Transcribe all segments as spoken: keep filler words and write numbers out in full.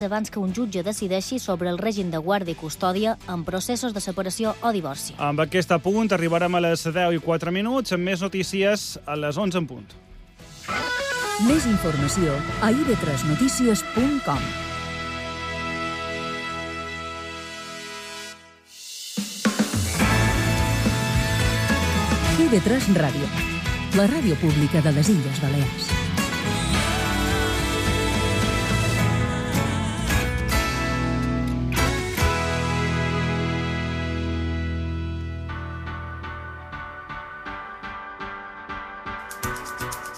abans que un jutge decideixi sobre el règim de guàrdia i custòdia en processos de separació o divorci. Amb aquest apunt arribarem a les deu i quatre minuts, amb més notícies a les onze en punt. Més informació a i ve tres notícies punt com. i ve tres Ràdio, la ràdio pública de les Illes Balears.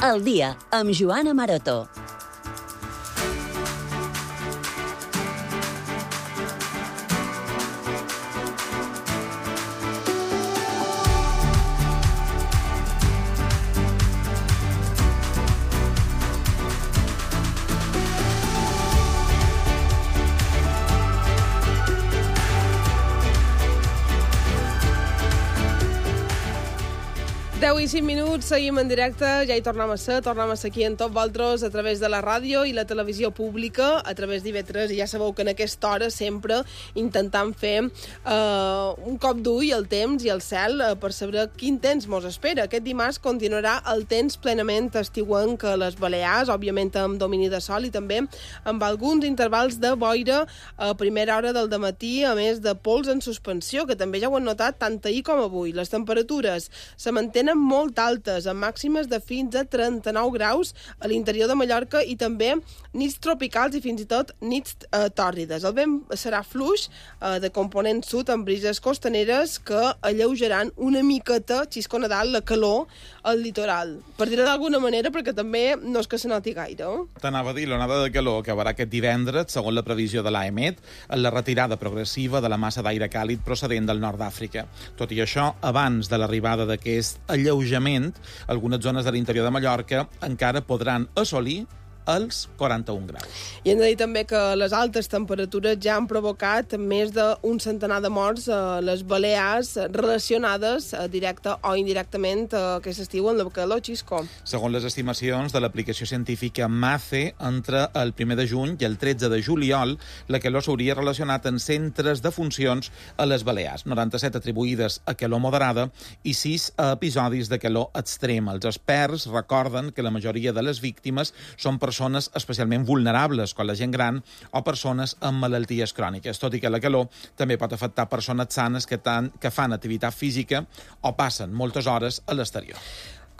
El dia amb Joana Maroto. deu i cinc minuts, seguim en directe, ja hi tornem a ser, tornem a ser aquí en tots vosaltres a través de la ràdio i la televisió pública, a través d'I ve tres, i ja sabeu que en aquesta hora sempre intentant fer eh, un cop d'ull al temps i al cel eh, per saber quin temps mos espera. Aquest dimarts continuarà el temps plenament estiuenc a les Balears, òbviament amb domini de sol i també amb alguns intervals de boira a primera hora del dematí, a més de pols en suspensió, que també ja ho han notat tant ahir com avui. Les temperatures se mantenen molt altes, amb màximes de fins a trenta-nou graus a l'interior de Mallorca i també nits tropicals i fins i tot nits eh, tòrrides. El vent serà fluix eh, de component sud amb brises costaneres que alleujaran una miqueta, xisco Nadal, la calor al litoral. Per dir-ho d'alguna manera, perquè també no és que se noti gaire. Eh? T'anava a dir, l'onada de calor acabarà aquest divendres, segons la previsió de l'AEMET, en la retirada progressiva de la massa d'aire càlid procedent del nord d'Àfrica. Tot i això, abans de l'arribada d'aquest alleujament, algunes zones de l'interior de Mallorca encara podran assolir els quaranta-un graus. I hem de dir també que les altes temperatures ja han provocat més d'un centenar de morts a les Balears relacionades directe o indirectament a aquest estiu en la calor, Xisco. Segons les estimacions de l'aplicació científica MACE, entre el primer de juny i el tretze de juliol, la calor s'hauria relacionat en centres de funcions a les Balears, noranta-set atribuïdes a calor moderada i sis a episodis de calor extrema. Els experts recorden que la majoria de les víctimes són persones persones especialment vulnerables, com la gent gran o persones amb malalties cròniques, tot i que la calor també pot afectar persones sanes que, tan, que fan activitat física o passen moltes hores a l'exterior.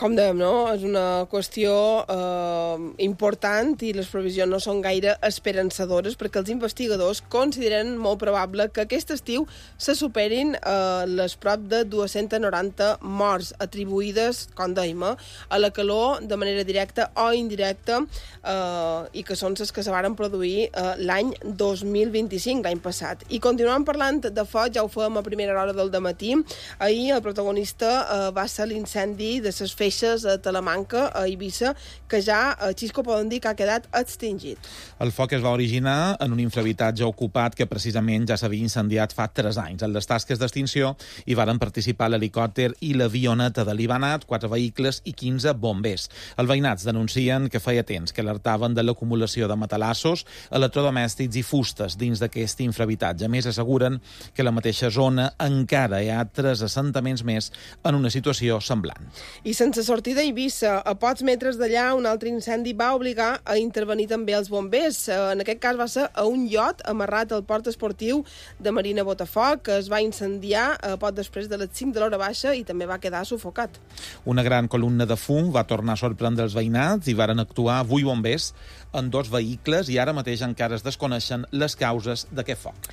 Com dèiem, no? És una qüestió eh, important i les previsions no són gaire esperançadores perquè els investigadors consideren molt probable que aquest estiu se superin eh, les prop de dos-cents noranta morts atribuïdes, com dèiem, a la calor de manera directa o indirecta eh, i que són les que se varen produir eh, l'any dos mil vint-i-cinc, l'any passat. I continuem parlant de foc, ja ho fèiem a primera hora del dematí. Ahir el protagonista eh, va ser l'incendi de les feixes a Talamanca, a Eivissa, que ja, a Xisco, poden dir que ha quedat extingit. El foc es va originar en un infrahabitatge ocupat que precisament ja s'havia incendiat fa tres anys. En les tasques d'extinció hi varen participar l'helicòpter i l'avioneta de l'Ibanat, quatre vehicles i quinze bombers. Els veïnats denuncien que feia temps que alertaven de l'acumulació de matalassos, electrodomèstics i fustes dins d'aquest infrahabitatge. A més, asseguren que la mateixa zona encara hi ha tres assentaments més en una situació semblant. I sense sortida a Eivissa, a pocs metres d'allà, un altre incendi va obligar a intervenir també els bombers. En aquest cas va ser a un iot amarrat al port esportiu de Marina Botafoc, que es va incendiar a poc després de les cinc de l'hora baixa i també va quedar sufocat. Una gran columna de fum va tornar a sorprendre els veïnats i varen actuar vuit bombers en dos vehicles i ara mateix encara es desconeixen les causes d'aquest foc.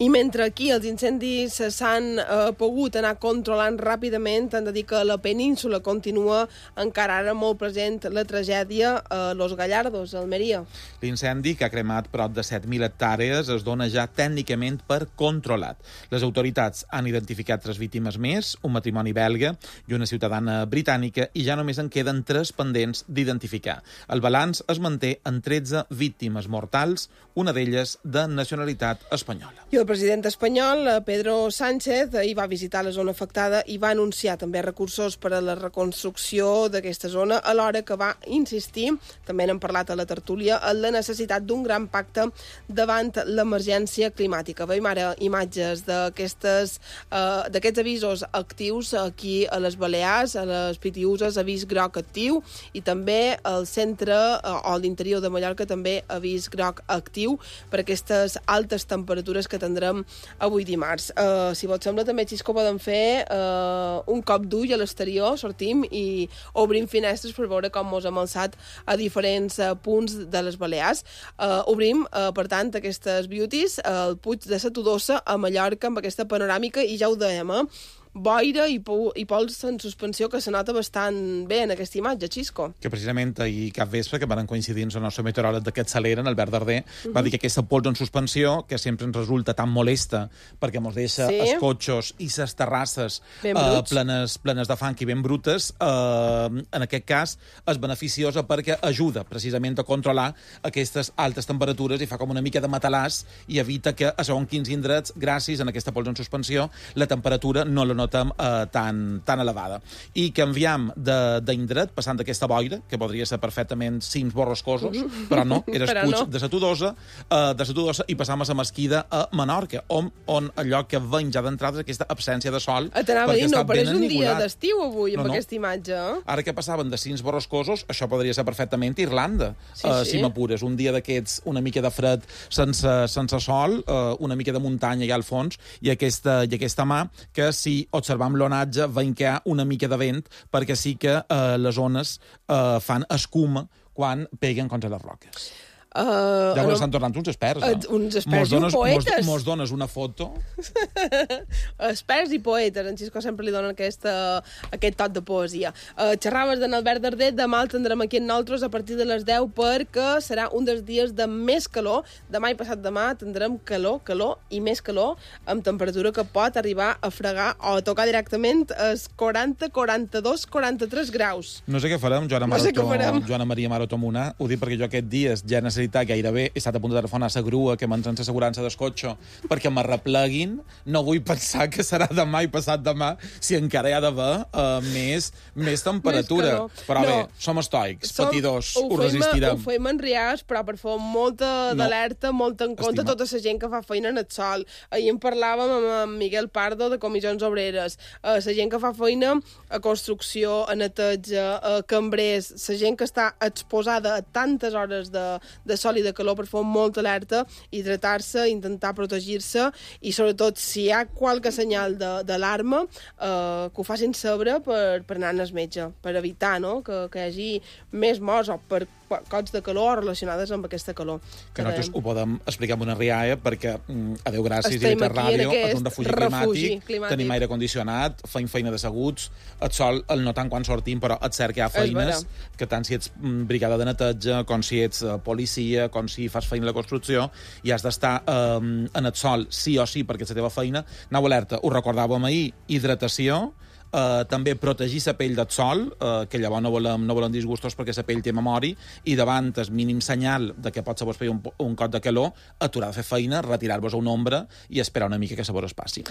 I mentre aquí els incendis s'han eh, pogut anar controlant ràpidament, hem de dir que la península continua encara ara molt present la tragèdia a Los Gallardos, a Almeria. L'incendi, que ha cremat prop de set mil hectàrees, es dona ja tècnicament per controlat. Les autoritats han identificat tres víctimes més, un matrimoni belga i una ciutadana britànica, i ja només en queden tres pendents d'identificar. El balanç es manté en tretze víctimes mortals, una d'elles de nacionalitat espanyola. I el president espanyol, Pedro Sánchez, hi va visitar la zona afectada i va anunciar també recursos per a la reconstrucció construcció d'aquesta zona, alhora que va insistir, també n'hem parlat a la tertúlia, en la necessitat d'un gran pacte davant l'emergència climàtica. Veiem ara imatges d'aquestes eh, d'aquests avisos actius aquí a les Balears, a les Pitiüses, avís groc actiu, i també al centre eh, o a l'interior de Mallorca també avís groc actiu per aquestes altes temperatures que tindrem avui dimarts. Eh, si vos sembla, també, Xisco, podem fer eh, un cop d'ull a l'exterior, sortim i obrim finestres per veure com mos hem alçat a diferents uh, punts de les Balears. Uh, obrim, uh, per tant, aquestes beauties, uh, el Puig de la Todosa a Mallorca, amb aquesta panoràmica, i ja ho dèiem, eh? boira i, po i pols en suspensió que se nota bastant bé en aquesta imatge, Xisco. Que precisament ahir cap vespre, que van coincidir amb el nostre meteoròleg d'aquest Salera, en Albert Darder, uh -huh. va dir que aquesta pols en suspensió, que sempre ens resulta tan molesta, perquè ens deixa sí. els cotxos i les terrasses eh, plenes, plenes de fang i ben brutes, eh, en aquest cas és beneficiosa perquè ajuda precisament a controlar aquestes altes temperatures i fa com una mica de matalàs i evita que a segons quins indrets, gràcies a aquesta pols en suspensió, la temperatura no la notem eh, tan, tan elevada. I canviam d'indret, passant d'aquesta boira, que podria ser perfectament cims borrascosos, però no, era el Puig no. de la Todosa, eh, de la Todosa, i passam a la Mesquida a Menorca, on, on allò que veiem ja d'entrada és aquesta absència de sol. T'anava a dir, no, però és un dia d'estiu avui, amb no, no. aquesta imatge. Eh? Ara que passaven de cims borrascosos, això podria ser perfectament Irlanda, sí, eh, sí. si m'apures. Un dia d'aquests, una mica de fred sense, sense sol, eh, una mica de muntanya ja al fons, i aquesta, i aquesta mà, que si observam l'onatge veiem que hi ha una mica de vent, perquè sí que eh, les ones eh, fan escuma quan peguen contra les roques. Uh, ja ho no, estan tornant uns experts, no? Uh, uns experts i poetes. Mos dones una foto. Experts i poetes. En Xisco sempre li donen aquesta, aquest tot de poesia. Uh, xerraves d'en Albert Darder, demà el tindrem aquí en nosaltres a partir de les deu perquè serà un dels dies de més calor. Demà i passat demà tindrem calor, calor i més calor, amb temperatura que pot arribar a fregar o a tocar directament els quaranta, quaranta-dos, quaranta-tres graus. No sé què farem, Joana, no sé Marató, què farem. Joana Maria Marató Munà. Ho dic perquè jo aquest dia ja necessito gairebé he estat a punt de telefonar a la grua que m'entren l'assegurança del cotxe perquè m'arrepleguin. No vull pensar que serà demà i passat demà si encara hi ha d'haver uh, més, més temperatura. Més però no. bé, som estoics, som, patidors, ho, ho resistirem. Ho fem en riars, però per fer molta no. d'alerta, molta en compte Estima. tota la gent que fa feina en el sol. Ahir en parlàvem amb en Miguel Pardo de Comissions Obreres. Uh, la gent que fa feina a construcció, a neteja, a cambrers, la gent que està exposada a tantes hores de, de sol i de calor per fer molta alerta, hidratar-se, intentar protegir-se i sobretot si hi ha qualque senyal d'alarma eh, que ho facin saber per, per anar al metge, per evitar no? que, que hi hagi més morts o per cots de calor relacionades amb aquesta calor. Que nosaltres ho podem explicar amb una rialla perquè, adeu gràcies, i Vitar Ràdio és un refugi, refugi climàtic, climàtic, tenim aire condicionat, feim feina d'asseguts, el sol el notam quan sortim, però et cert que hi ha feines que tant si ets brigada de neteja, com si ets uh, policia, com si fas feina a la construcció, i has d'estar eh, en el sol sí o sí perquè és la teva feina. Anau alerta, ho recordàvem ahir, hidratació, Uh, també protegir la pell del sol, uh, que llavors no volem, no volem disgustos perquè la pell té memòria, i davant el mínim senyal de que pot ser vos un, un cot de calor, aturar de fer feina, retirar-vos a una ombra i esperar una mica que se vos passi.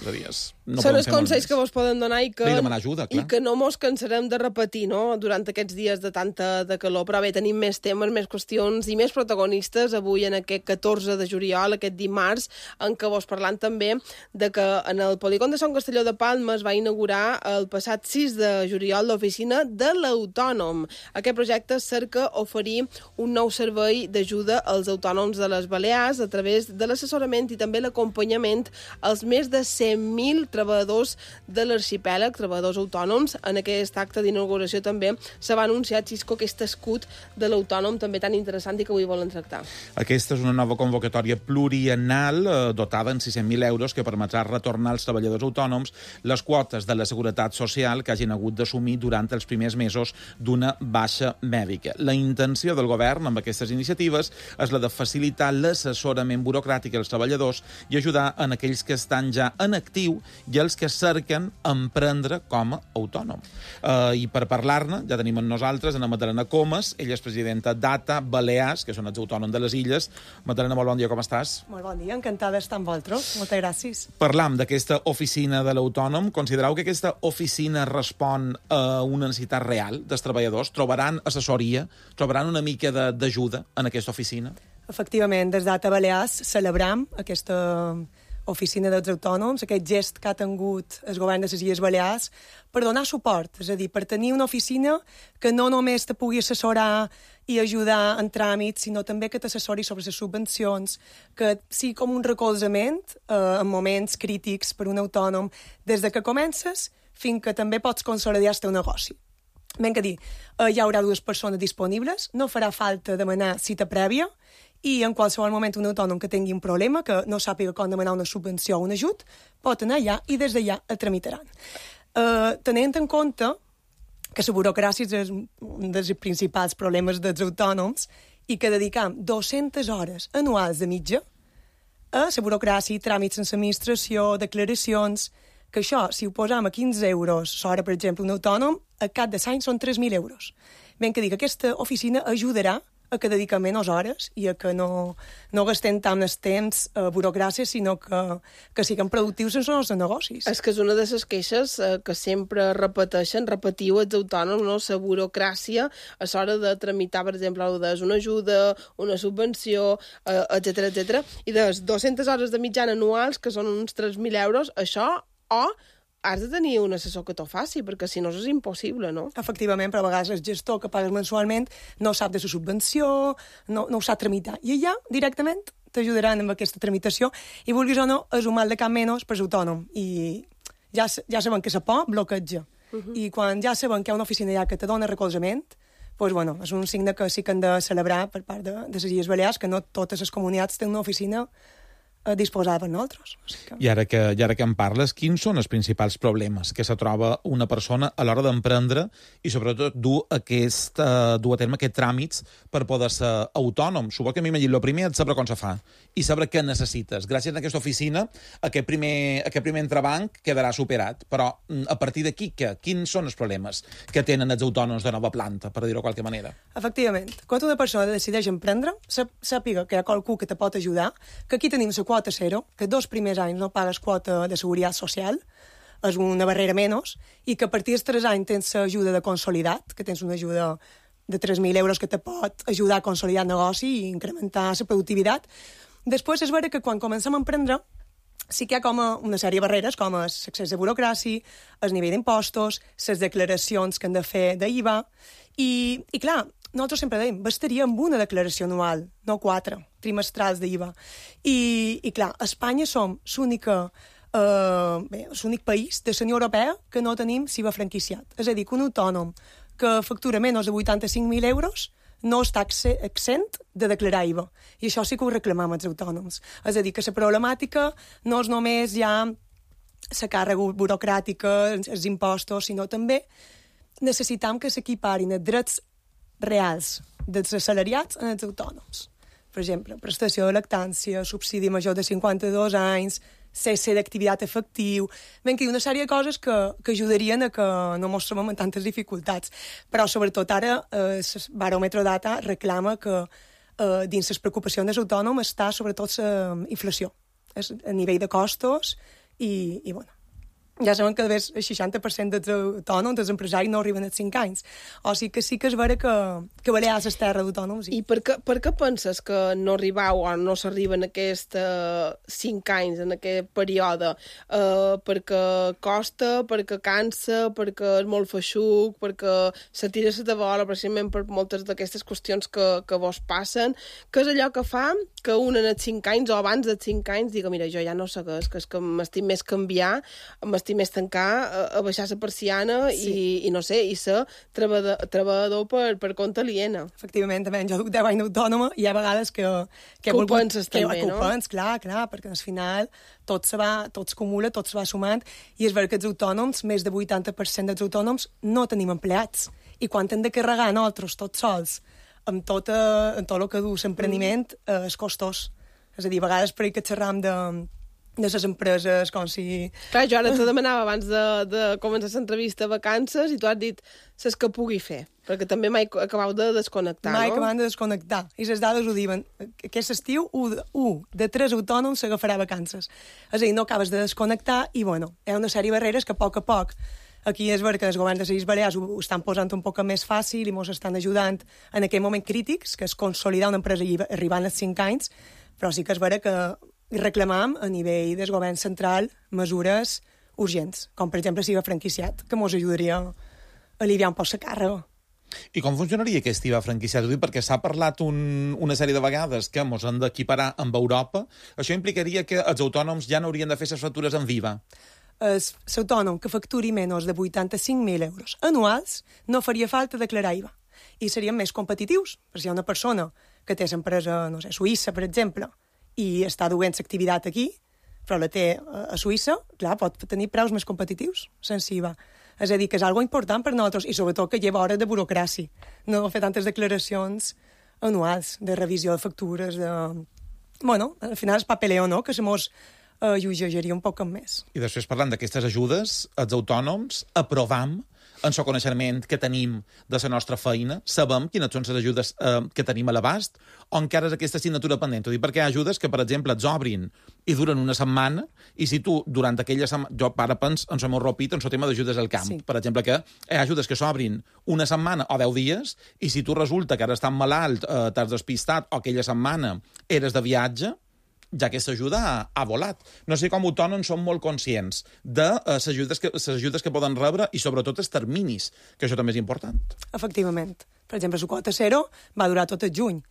No Són els consells que vos poden donar i que, ajuda, i que no mos cansarem de repetir no? durant aquests dies de tanta de calor. Però bé, tenim més temes, més qüestions i més protagonistes avui en aquest catorze de juliol, aquest dimarts, en què vos parlant també de que en el polígon de Sant Castelló de Palma es va inaugurar el passat sis de juliol l'oficina de l'Autònom. Aquest projecte cerca oferir un nou servei d'ajuda als autònoms de les Balears a través de l'assessorament i també l'acompanyament als més de cent mil treballadors de l'arxipèlag, treballadors autònoms. En aquest acte d'inauguració també se va anunciar, Xisco, aquest escut de l'autònom també tan interessant i que avui volen tractar. Aquesta és una nova convocatòria pluriennal eh, dotada en sis-cents mil euros que permetrà retornar als treballadors autònoms les quotes de la Seguretat Social que hagin hagut d'assumir durant els primers mesos d'una baixa mèdica. La intenció del govern amb aquestes iniciatives és la de facilitar l'assessorament burocràtic als treballadors i ajudar en aquells que estan ja en actiu i els que cerquen emprendre com a autònom. Uh, I per parlar-ne, ja tenim amb nosaltres Ana Madalena Comas, ella és presidenta d'A T A Balears, que són els autònoms de les illes. Madalena, molt bon dia, com estàs? Molt bon dia, encantada d'estar amb vosaltres. Moltes gràcies. Parlam d'aquesta oficina de l'autònom. Considereu que aquesta oficina oficina respon a una necessitat real dels treballadors? Trobaran assessoria? Trobaran una mica d'ajuda en aquesta oficina? Efectivament, des d'Ata Balears celebram aquesta oficina dels autònoms, aquest gest que ha tingut el govern de les Illes Balears per donar suport, és a dir, per tenir una oficina que no només te pugui assessorar i ajudar en tràmits, sinó també que t'assessori sobre les subvencions, que sigui com un recolzament eh, en moments crítics per un autònom, des de que comences fins que també pots consolidar el teu negoci. Ben que dir, eh, hi haurà dues persones disponibles, no farà falta demanar cita prèvia, i en qualsevol moment un autònom que tingui un problema, que no sàpiga com demanar una subvenció o un ajut, pot anar allà i des d'allà el tramitaran. Uh, tenint en compte que la burocràcia és un dels principals problemes dels autònoms i que dedicam dues-centes hores anuals de mitja a la burocràcia, tràmits en l'administració, declaracions, que això, si ho posam a quinze euros l'hora, per exemple, un autònom, a cap de l'any són tres mil euros. Ben que dir que aquesta oficina ajudarà a que dediquem menys hores i a que no, no gastem tant el temps a burocràcia, sinó que, que siguem productius en els nostres negocis. És que és una de les queixes eh, que sempre repeteixen, repetiu els autònoms, no? La burocràcia a l'hora de tramitar, per exemple, una ajuda, una subvenció, eh, etcètera, etcètera. I de les dues-centes hores de mitjana anuals, que són uns tres mil euros, això, o has de tenir un assessor que t'ho faci, perquè si no és impossible, no? Efectivament, però a vegades el gestor que pagues mensualment no sap de la subvenció, no, no ho sap tramitar. I allà, directament, t'ajudaran amb aquesta tramitació i, vulguis o no, és un mal de cap menys per l'autònom. I ja, ja sabem que la por bloqueja. Uh -huh. I quan ja sabem que hi ha una oficina allà que te dona recolzament, doncs, bueno, és un signe que sí que han de celebrar per part de, de les Illes Balears, que no totes les comunitats tenen una oficina disposada per nosaltres. O sigui que... I ara que, i ara que en parles, quins són els principals problemes que se troba una persona a l'hora d'emprendre i sobretot dur, aquest, uh, dur a terme aquests tràmits per poder ser autònom? Suposo que m'imagino, el primer és saber com se fa i saber què necessites. Gràcies a aquesta oficina, aquest primer, aquest primer entrebanc quedarà superat. Però a partir d'aquí, què? Quins són els problemes que tenen els autònoms de nova planta, per dir-ho de qualque manera? Efectivament. Quan una persona decideix emprendre, sàpiga que hi ha qualcú que te pot ajudar, que aquí tenim la quota zero, que dos primers anys no pagues quota de seguretat social, és una barrera menys, i que a partir dels tres anys tens l'ajuda de consolidat, que tens una ajuda de tres mil euros que te pot ajudar a consolidar el negoci i incrementar la productivitat. Després és vera que quan comencem a emprendre sí que hi ha com una sèrie de barreres, com l'accés de burocràcia, el nivell d'impostos, les declaracions que han de fer d'I V A, i, i clar, nosaltres sempre dèiem, bastaria amb una declaració anual, no quatre, trimestrals d'I V A. I, i clar, a Espanya som l'única eh, bé, l'únic país de la Unió Europea que no tenim S I V A franquiciat. És a dir, que un autònom que factura menys de vuitanta-cinc mil euros no està exent de declarar I V A. I això sí que ho reclamam els autònoms. És a dir, que la problemàtica no és només ja la càrrega burocràtica, els impostos, sinó també necessitam que s'equiparin els drets reals dels assalariats en els autònoms. Per exemple, prestació de lactància, subsidi major de cinquanta-dos anys, cesse d'activitat efectiu... Ben que hi ha una sèrie de coses que, que ajudarien a que no ens trobem en tantes dificultats. Però, sobretot, ara, eh, el baròmetre data reclama que eh, dins les preocupacions dels autònoms està, sobretot, la inflació. És a nivell de costos i, i bueno, ja sabem que el seixanta per cent dels autònoms, dels empresaris, no arriben als cinc anys. O sigui que sí que és vera que, que Balears és terra d'autònoms. I, I per, què, per què penses que no arribau o no s'arriba en aquests uh, cinc anys, en aquest període? Uh, perquè costa, perquè cansa, perquè és molt feixuc, perquè se tira la tabola, precisament per moltes d'aquestes qüestions que, que vos passen. Què és allò que fa que un en els cinc anys o abans dels cinc anys diga, mira, jo ja no sé què és, que és que m'estic més canviar, m'estic més tancar, a, a baixar la persiana sí. i, i no sé, i ser treballador, treballador per, per compte aliena. Efectivament, també. Jo duc deu anys d'autònoma i hi ha vegades que... Que, que ho penses que, també, que no? Ho penses, clar, clar, perquè al final tot se va, tot es acumula, tot se va sumant, i és vera que els autònoms, més de vuitanta per cent dels autònoms, no tenim empleats. I quan hem de carregar nosaltres, tots sols, amb tot, eh, amb tot el que du l'empreniment, eh, és costós. És a dir, a vegades per ahir que xerram de... de les empreses, com si... Clar, jo ara te demanava abans de, de començar l'entrevista vacances i tu has dit les que pugui fer, perquè també mai acabau de desconnectar, mai no? Mai acabam de desconnectar. I les dades ho diuen. Aquest estiu, un, un de tres autònoms s'agafarà vacances. És a dir, no acabes de desconnectar i, bueno, hi ha una sèrie de barreres que a poc a poc Aquí és ver que els governs de les Illes Balears ho, ho estan posant un poc més fàcil i ens estan ajudant en aquell moment crítics, que és consolidar una empresa i arribar als cinc anys, però sí que és ver que reclamam a nivell del govern central mesures urgents, com per exemple si va franquiciat, que ens ajudaria a aliviar un poc la càrrega. I com funcionaria aquest I V A franquiciat? Ho dic perquè s'ha parlat un, una sèrie de vegades que ens han d'equiparar amb Europa. Això implicaria que els autònoms ja no haurien de fer les factures amb I V A. L'autònom que facturi menys de vuitanta-cinc mil euros anuals no faria falta declarar I V A. I serien més competitius, perquè si hi ha una persona que té l'empresa, no sé, Suïssa, per exemple, i està duent l'activitat aquí, però la té a Suïssa, clar, pot tenir preus més competitius sense I V A. És a dir, que és algo important per nosaltres, i sobretot que lleva hores de burocràcia, no fer tantes declaracions anuals de revisió de factures, de... Bueno, al final és papeleo, no?, que se mos eh, llogejaria un poc més. I després, parlant d'aquestes ajudes, els autònoms aprovam en el coneixement que tenim de la nostra feina, sabem quines són les ajudes eh, que tenim a l'abast, o encara és aquesta assignatura pendent. Ho dic perquè hi ha ajudes que, per exemple, et obrin i duren una setmana, i si tu, durant aquella setmana... Jo ara penso en el meu ropit, en el tema d'ajudes al camp. Sí. Per exemple, que hi ha ajudes que s'obrin una setmana o deu dies, i si tu resulta que ara estàs malalt, eh, t'has despistat, o aquella setmana eres de viatge, ja aquesta ajuda ha, ha volat. No sé com autònoms són molt conscients de uh, les ajudes, que, les ajudes que poden rebre i sobretot els terminis, que això també és important. Efectivament. Per exemple, la quota zero va durar tot el juny.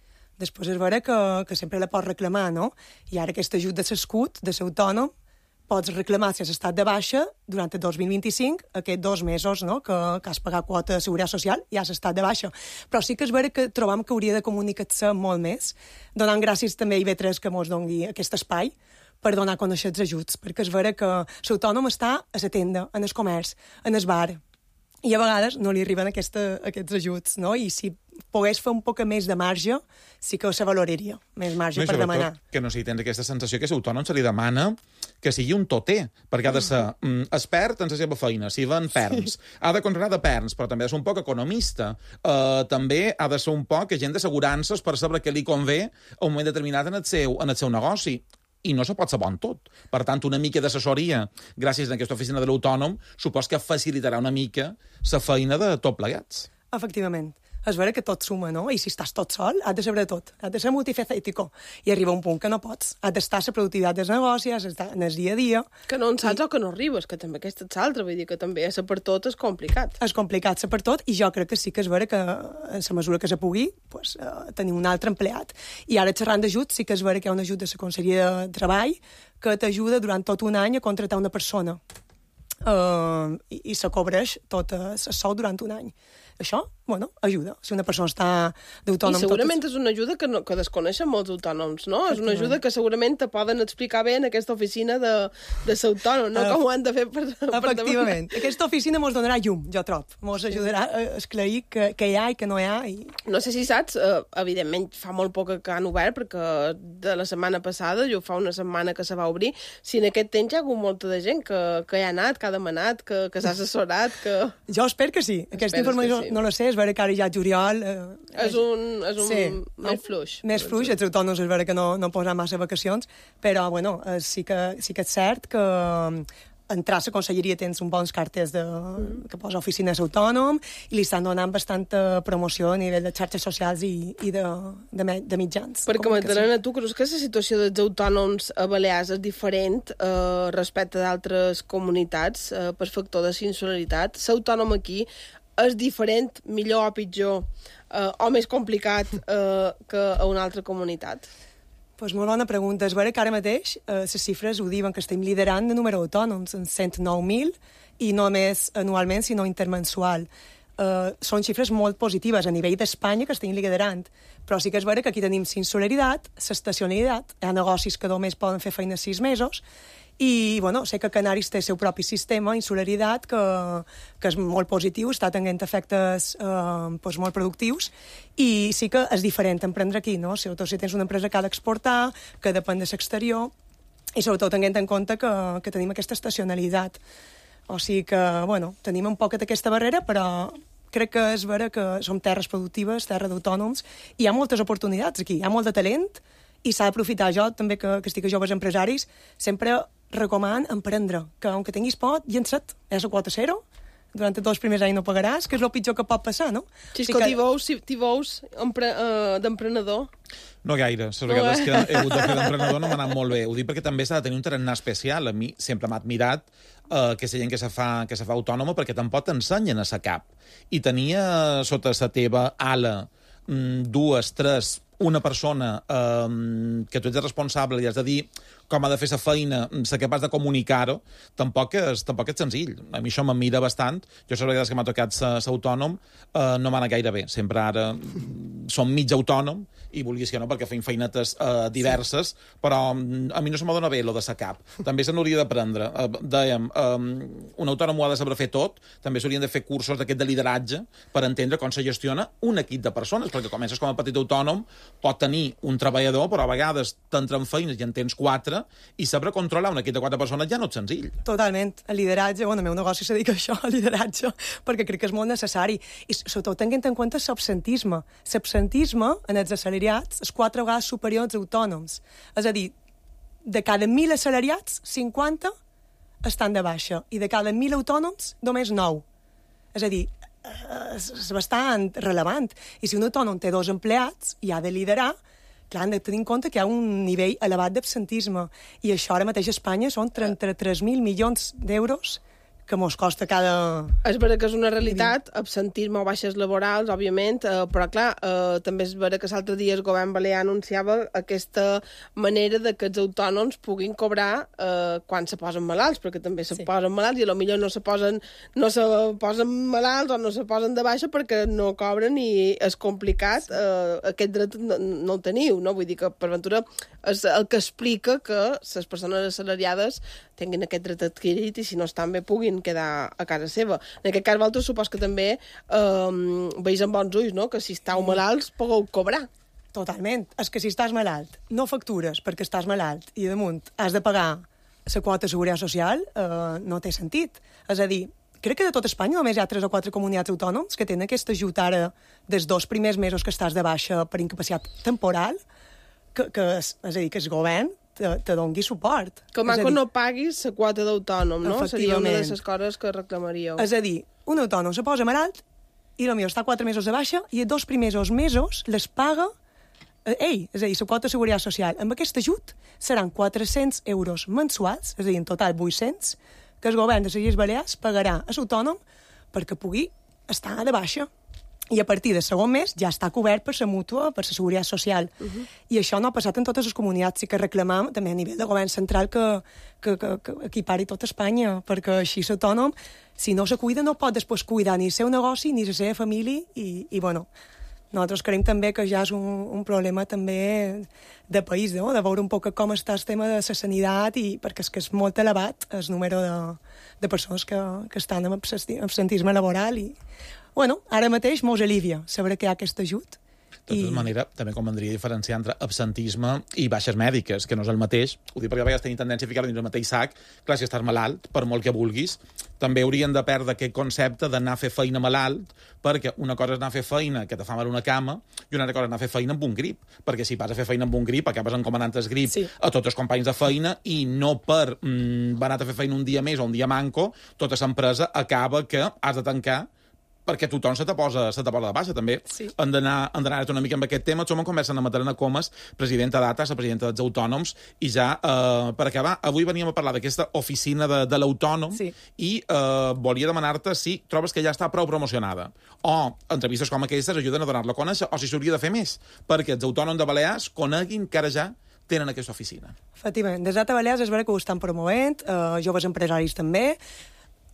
Després és vera que, que sempre la pots reclamar, no? I ara aquest ajut de l'escut, de l'autònom, pots reclamar si has estat de baixa durant el dos mil vint-i-cinc, aquests dos mesos, no?, que, que has pagat quota de seguretat social i has estat de baixa. Però sí que és vera que trobam que hauria de comunicar-se molt més, donant gràcies també a I V tres que ens doni aquest espai per donar a conèixer els ajuts, perquè és vera que l'autònom està a la tenda, en el comerç, en el bar, i a vegades no li arriben aquesta, aquests ajuts, no? I si pogués fer un poc més de marge, sí que se valoraria, més marge no, per demanar. Que no sé, tens aquesta sensació que l'autònom se li demana que sigui un toter, perquè ha de ser mm, expert en la seva feina, si ven perns, sí. Ha de controlar de perns, però també ha de ser un poc economista, uh, també ha de ser un poc agent d'assegurances per saber què li convé a un moment determinat en el seu, en el seu negoci. I no se pot saber en tot. Per tant, una mica d'assessoria, gràcies a aquesta oficina de l'autònom, supos que facilitarà una mica la feina de tot plegats. Efectivament. És vera que tot suma, no? I si estàs tot sol, has de saber tot. Has de ser multifacètico. I arriba un punt que no pots. Has d'estar a la productivitat dels negocis, has d'estar en el dia a dia. Que no en saps I... o que no arribes, que també aquesta és l'altra. Vull dir que també ser per tot és complicat. És complicat ser per tot, i jo crec que sí que és vera que en la mesura que se pugui, pues, eh, tenir un altre empleat. I ara xerrant d'ajuts, sí que és vera que hi ha un ajut de la Conselleria de Treball que t'ajuda durant tot un any a contractar una persona. Uh, i, i se cobreix tot el sou durant un any. Això, bueno, ajuda. Si una persona està d'autònom... I segurament tot... és una ajuda que, no, que desconeixen molts autònoms, no? És una ajuda que segurament te poden explicar bé en aquesta oficina de, de l'autònom, no? Uh, Com ho han de fer per, per Efectivament. Per aquesta oficina mos donarà llum, jo trob. Mos sí. ajudarà a esclarir que, que hi ha i que no hi ha. I... No sé si saps, eh, evidentment fa molt poc que han obert, perquè de la setmana passada, jo fa una setmana que se va obrir, si en aquest temps hi ha hagut molta de gent que, que hi ha anat, que ha demanat, que, que s'ha assessorat, que... Jo espero que sí. Aquesta informació sí. No la sé, és vera que ara ja juliol... Eh, és un, és un sí, més fluix. Més fluix, els autònoms és vera que no, no posen massa vacacions, però bueno, eh, sí, que, sí que és cert que entrar a la conselleria tens un bons cartes de, mm. que posa oficines autònom i li estan donant bastanta promoció a nivell de xarxes socials i, i de, de, de mitjans. Perquè m'entenen a tu, creus que la situació dels autònoms a Balears és diferent eh, respecte d'altres comunitats eh, per factor de insularitat? L'autònom aquí és diferent, millor o pitjor, eh, o més complicat eh, que a una altra comunitat? Pues molt bona pregunta. És vera que ara mateix eh, les xifres ho diuen que estem liderant de número d'autònoms, en cent nou mil, i no només anualment, sinó intermensual. Eh, són xifres molt positives a nivell d'Espanya que estem liderant, però sí que és vera que aquí tenim insolidaritat, l'estacionalitat, hi ha negocis que només poden fer feina sis mesos, i bueno, sé que Canaris té el seu propi sistema, insolidaritat, que, que és molt positiu, està tenint efectes eh, doncs molt productius, i sí que és diferent emprendre aquí, no? Sobretot si tens una empresa que ha d'exportar, que depèn de l'exterior, i sobretot tenint en compte que, que tenim aquesta estacionalitat. O sigui que, bueno, tenim un poquet aquesta barrera, però crec que és vera que som terres productives, terra d'autònoms, i hi ha moltes oportunitats aquí, hi ha molt de talent, i s'ha d'aprofitar. Jo, també, que, que estic a joves empresaris, sempre recoman emprendre, que, aunque tinguis por, llença't, és la quota zero, durant els dos primers anys no pagaràs, que és el pitjor que pot passar, no? Si és que t'hi veus, t'hi veus d'emprenedor. No gaire. Les vegades que he hagut de fer d'emprenedor no m'ha anat molt bé. Ho dic perquè també s'ha de tenir un tarannà especial. A mi sempre m'ha admirat eh, aquesta gent que se fa, que se fa autònoma perquè tampoc t'ensenyen a sa cap. I tenia sota la teva ala dues, tres, una persona eh, que tu ets responsable i has de dir com ha de fer la feina, ser capaç de comunicar-ho, tampoc és, tampoc és senzill. A mi això m'admira bastant. Jo, les vegades que m'ha tocat ser autònom, eh, no m'ha anat gaire bé. Sempre ara som mig autònom, i vulguis que no, perquè feim feinetes eh, diverses, sí. Però a mi no se m'ha donat bé, lo de sa cap. També se n'hauria d'aprendre. Eh, dèiem, eh, un autònom ho ha de saber fer tot, també s'haurien de fer cursos d'aquest de lideratge per entendre com se gestiona un equip de persones, perquè comences com a petit autònom, pot tenir un treballador, però a vegades t'entren feines i en tens quatre, i saber controlar un equip de quatre persones ja no és senzill. Totalment. El lideratge, bueno, el meu negoci se dedica a això, al lideratge, perquè crec que és molt necessari. I sobretot tenint en compte l'absentisme. L'absentisme en els assalariats és quatre vegades superior als autònoms. És a dir, de cada mil assalariats, cinquanta estan de baixa, i de cada mil autònoms, només nou. És a dir, és bastant rellevant. I si un autònom té dos empleats i ha de liderar, clar, hem de tenir en compte que hi ha un nivell elevat d'absentisme. I això ara mateix a Espanya són trenta-tres mil milions d'euros que mos costa cada... És vera que és una realitat, absentisme o baixes laborals, òbviament, eh, però clar, eh, també és vera que l'altre dia el govern balear anunciava aquesta manera de que els autònoms puguin cobrar eh, quan se posen malalts, perquè també se sí. posen malalts i potser no se posen, no se posen malalts o no se posen de baixa perquè no cobren i és complicat, eh, aquest dret no, no el teniu, no? Vull dir que, per ventura, és el que explica que les persones assalariades tinguin aquest dret adquirit i si no estan bé puguin quedar a casa seva. En aquest cas, vosaltres supos que també eh, veus amb bons ulls, no? Que si estàu malalts pugueu cobrar. Totalment. És que si estàs malalt, no factures perquè estàs malalt i damunt has de pagar la quota de seguretat social, eh, no té sentit. És a dir, crec que de tot Espanya només hi ha tres o quatre comunitats autònoms que tenen aquest ajut ara dels dos primers mesos que estàs de baixa per incapacitat temporal, que, que és, és a dir, que el govern te, te dongui suport. Que maco no paguis la quota d'autònom, no? Seria una de les coses que reclamaríeu. És a dir, un autònom se posa malalt i potser està quatre mesos de baixa i els dos primers mesos les paga ell, és a dir, la quota de seguretat social. Amb aquest ajut seran quatre-cents euros mensuals, és a dir, en total vuit-cents, que el govern de les Illes Balears pagarà a l'autònom perquè pugui estar de baixa. I a partir del segon mes ja està cobert per la mútua, per la seguretat social. Uh -huh. I això no ha passat en totes les comunitats. Sí que reclamam també a nivell de govern central que, que, que, que equipari tot Espanya, perquè així l'autònom, si no se cuida, no pot després cuidar ni el seu negoci ni la seva família i, i bueno, nosaltres creiem també que ja és un, un problema també de país, no? De veure un poc com està el tema de la sanitat, i perquè és que és molt elevat el número de, de persones que, que estan amb absentisme laboral i bueno, ara mateix mos alivia saber que hi ha aquest ajut. De tota manera, també convendria diferenciar entre absentisme i baixes mèdiques, que no és el mateix. Ho dic perquè a vegades tenim tendència a ficar-ho dins el mateix sac. Clar, si estàs malalt, per molt que vulguis, també haurien de perdre aquest concepte d'anar a fer feina malalt, perquè una cosa és anar a fer feina que te fa mal una cama i una altra cosa és anar a fer feina amb un grip. Perquè si vas a fer feina amb un grip, acabes encomanant el grip sí. a tots els companys de feina i no per mm, va anar a fer feina un dia més o un dia manco, tota l'empresa acaba que has de tancar perquè tothom se te posa, se te posa de baixa, també. Sí. Han d'anar una mica amb aquest tema. Som en conversa amb Matarena Comas, presidenta d'A T A, la presidenta dels autònoms, i ja, eh, per acabar, avui veníem a parlar d'aquesta oficina de, de l'autònom sí. i eh, volia demanar-te si trobes que ja està prou promocionada. O entrevistes com aquestes ajuden a donar-la a conèixer, o si s'hauria de fer més, perquè els autònoms de Balears coneguin que ara ja tenen aquesta oficina. Efectivament, des d'A T A Balears és vera que ho estan promovent, eh, joves empresaris també.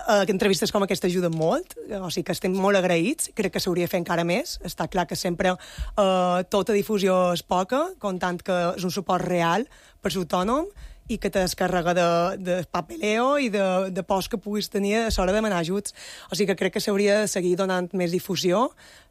Uh, entrevistes com aquesta ajuden molt, o sigui que estem molt agraïts, crec que s'hauria de fer encara més. Està clar que sempre uh, tota difusió és poca, comptant que és un suport real per l'autònom i que te descarrega de, de papeleo i de, de pors que puguis tenir a l'hora de demanar ajuts. O sigui que crec que s'hauria de seguir donant més difusió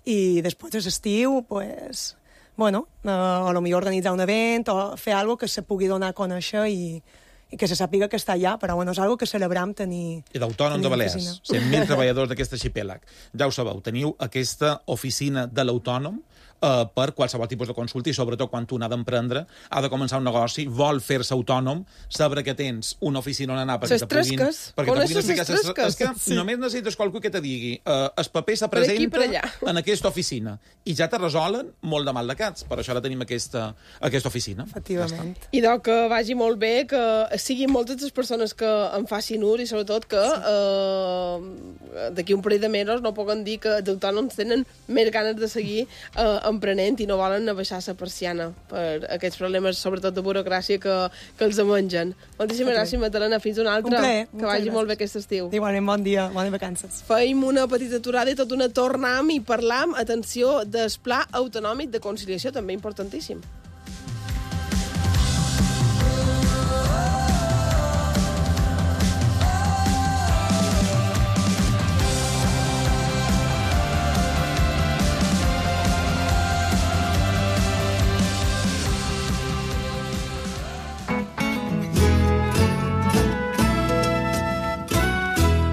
i després de l'estiu, pues, bueno, uh, a lo millor organitzar un event o fer alguna cosa que se pugui donar a conèixer i i que se sàpiga que està allà, però bueno, és una cosa que celebrem tenir... I d'autònom de Balears, cent mil treballadors d'aquest arxipèlag. Ja ho sabeu, teniu aquesta oficina de l'autònom eh, per qualsevol tipus de consulta i sobretot quan tu n'ha d'emprendre, ha de començar un negoci, vol fer-se autònom, saber que tens una oficina on anar perquè te puguin... Perquè te puguin explicar... És que sí. Només necessites qualcú que te digui eh, el paper se presenta en aquesta oficina i ja te resolen molt de mal de caps. Per això ara tenim aquesta, aquesta oficina. Efectivament. Ja I doncs que vagi molt bé, que siguin moltes les persones que en facin ús i sobretot que eh, d'aquí un parell de mesos no puguen dir que els autònoms tenen més ganes de seguir eh, emprenent i no volen abaixar la persiana per aquests problemes, sobretot de burocràcia, que, que els mengen. Moltíssimes okay. gràcies, Magdalena. Fins una altra. Un plaer. Que vagi gràcies. Molt bé aquest estiu. Igualment, bon dia, bones vacances. Feim una petita aturada i tot una tornam i parlam, atenció, del Pla Autonòmic de Conciliació, també importantíssim.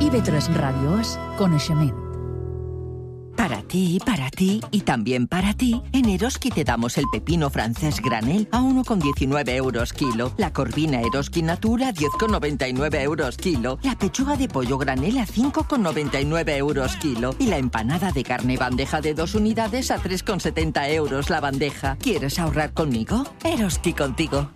I B tres Radio es coneixement. Para ti, para ti y también para ti, en Eroski te damos el pepino francés granel a uno con diecinueve euros kilo, la corvina Eroski Natura a diez con noventa y nueve euros kilo, la pechuga de pollo granel a cinco con noventa y nueve euros kilo y la empanada de carne bandeja de dos unidades a tres con setenta euros la bandeja. ¿Quieres ahorrar conmigo? Eroski contigo.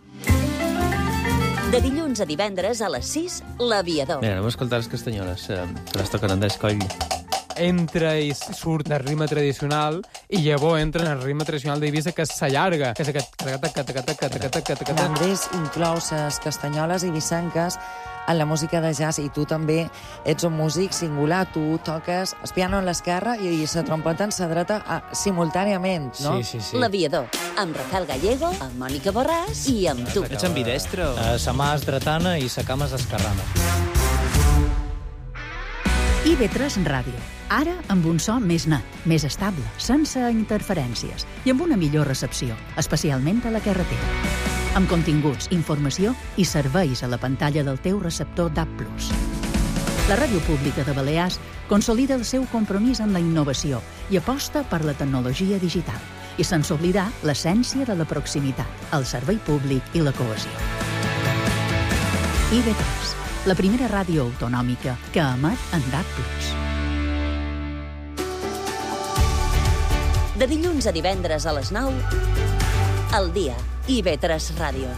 De dilluns a divendres a les sis, L'Aviador. Mira, anem a escoltar les castanyoles, eh, que les toquen en d'escoll. Entra i surt del ritme tradicional i llavors entra en el ritme tradicional d'Eivissa, que s'allarga, que és aquest... L'Andrés inclou les castanyoles eivissenques en la música de jazz i tu també ets un músic singular, tu toques el piano a l'esquerra i la trompeta en la dreta a, simultàniament, no? Sí, sí, sí. L'Aviador, amb Rafael Gallego, amb Mònica Borràs i amb tu. Ets ambidestre? Uh, sa mà és dretana i sa cama és esquerrana. I B tres Ràdio. Ara amb un so més net, més estable, sense interferències i amb una millor recepció, especialment a la carretera. Amb continguts, informació i serveis a la pantalla del teu receptor D A B plus. La Ràdio Pública de Balears consolida el seu compromís amb la innovació i aposta per la tecnologia digital i sense oblidar l'essència de la proximitat, el servei públic i la cohesió. I B tres, la primera ràdio autonòmica que emet en D A B plus. De dilluns a divendres a les nou, al dia, I B tres Ràdio.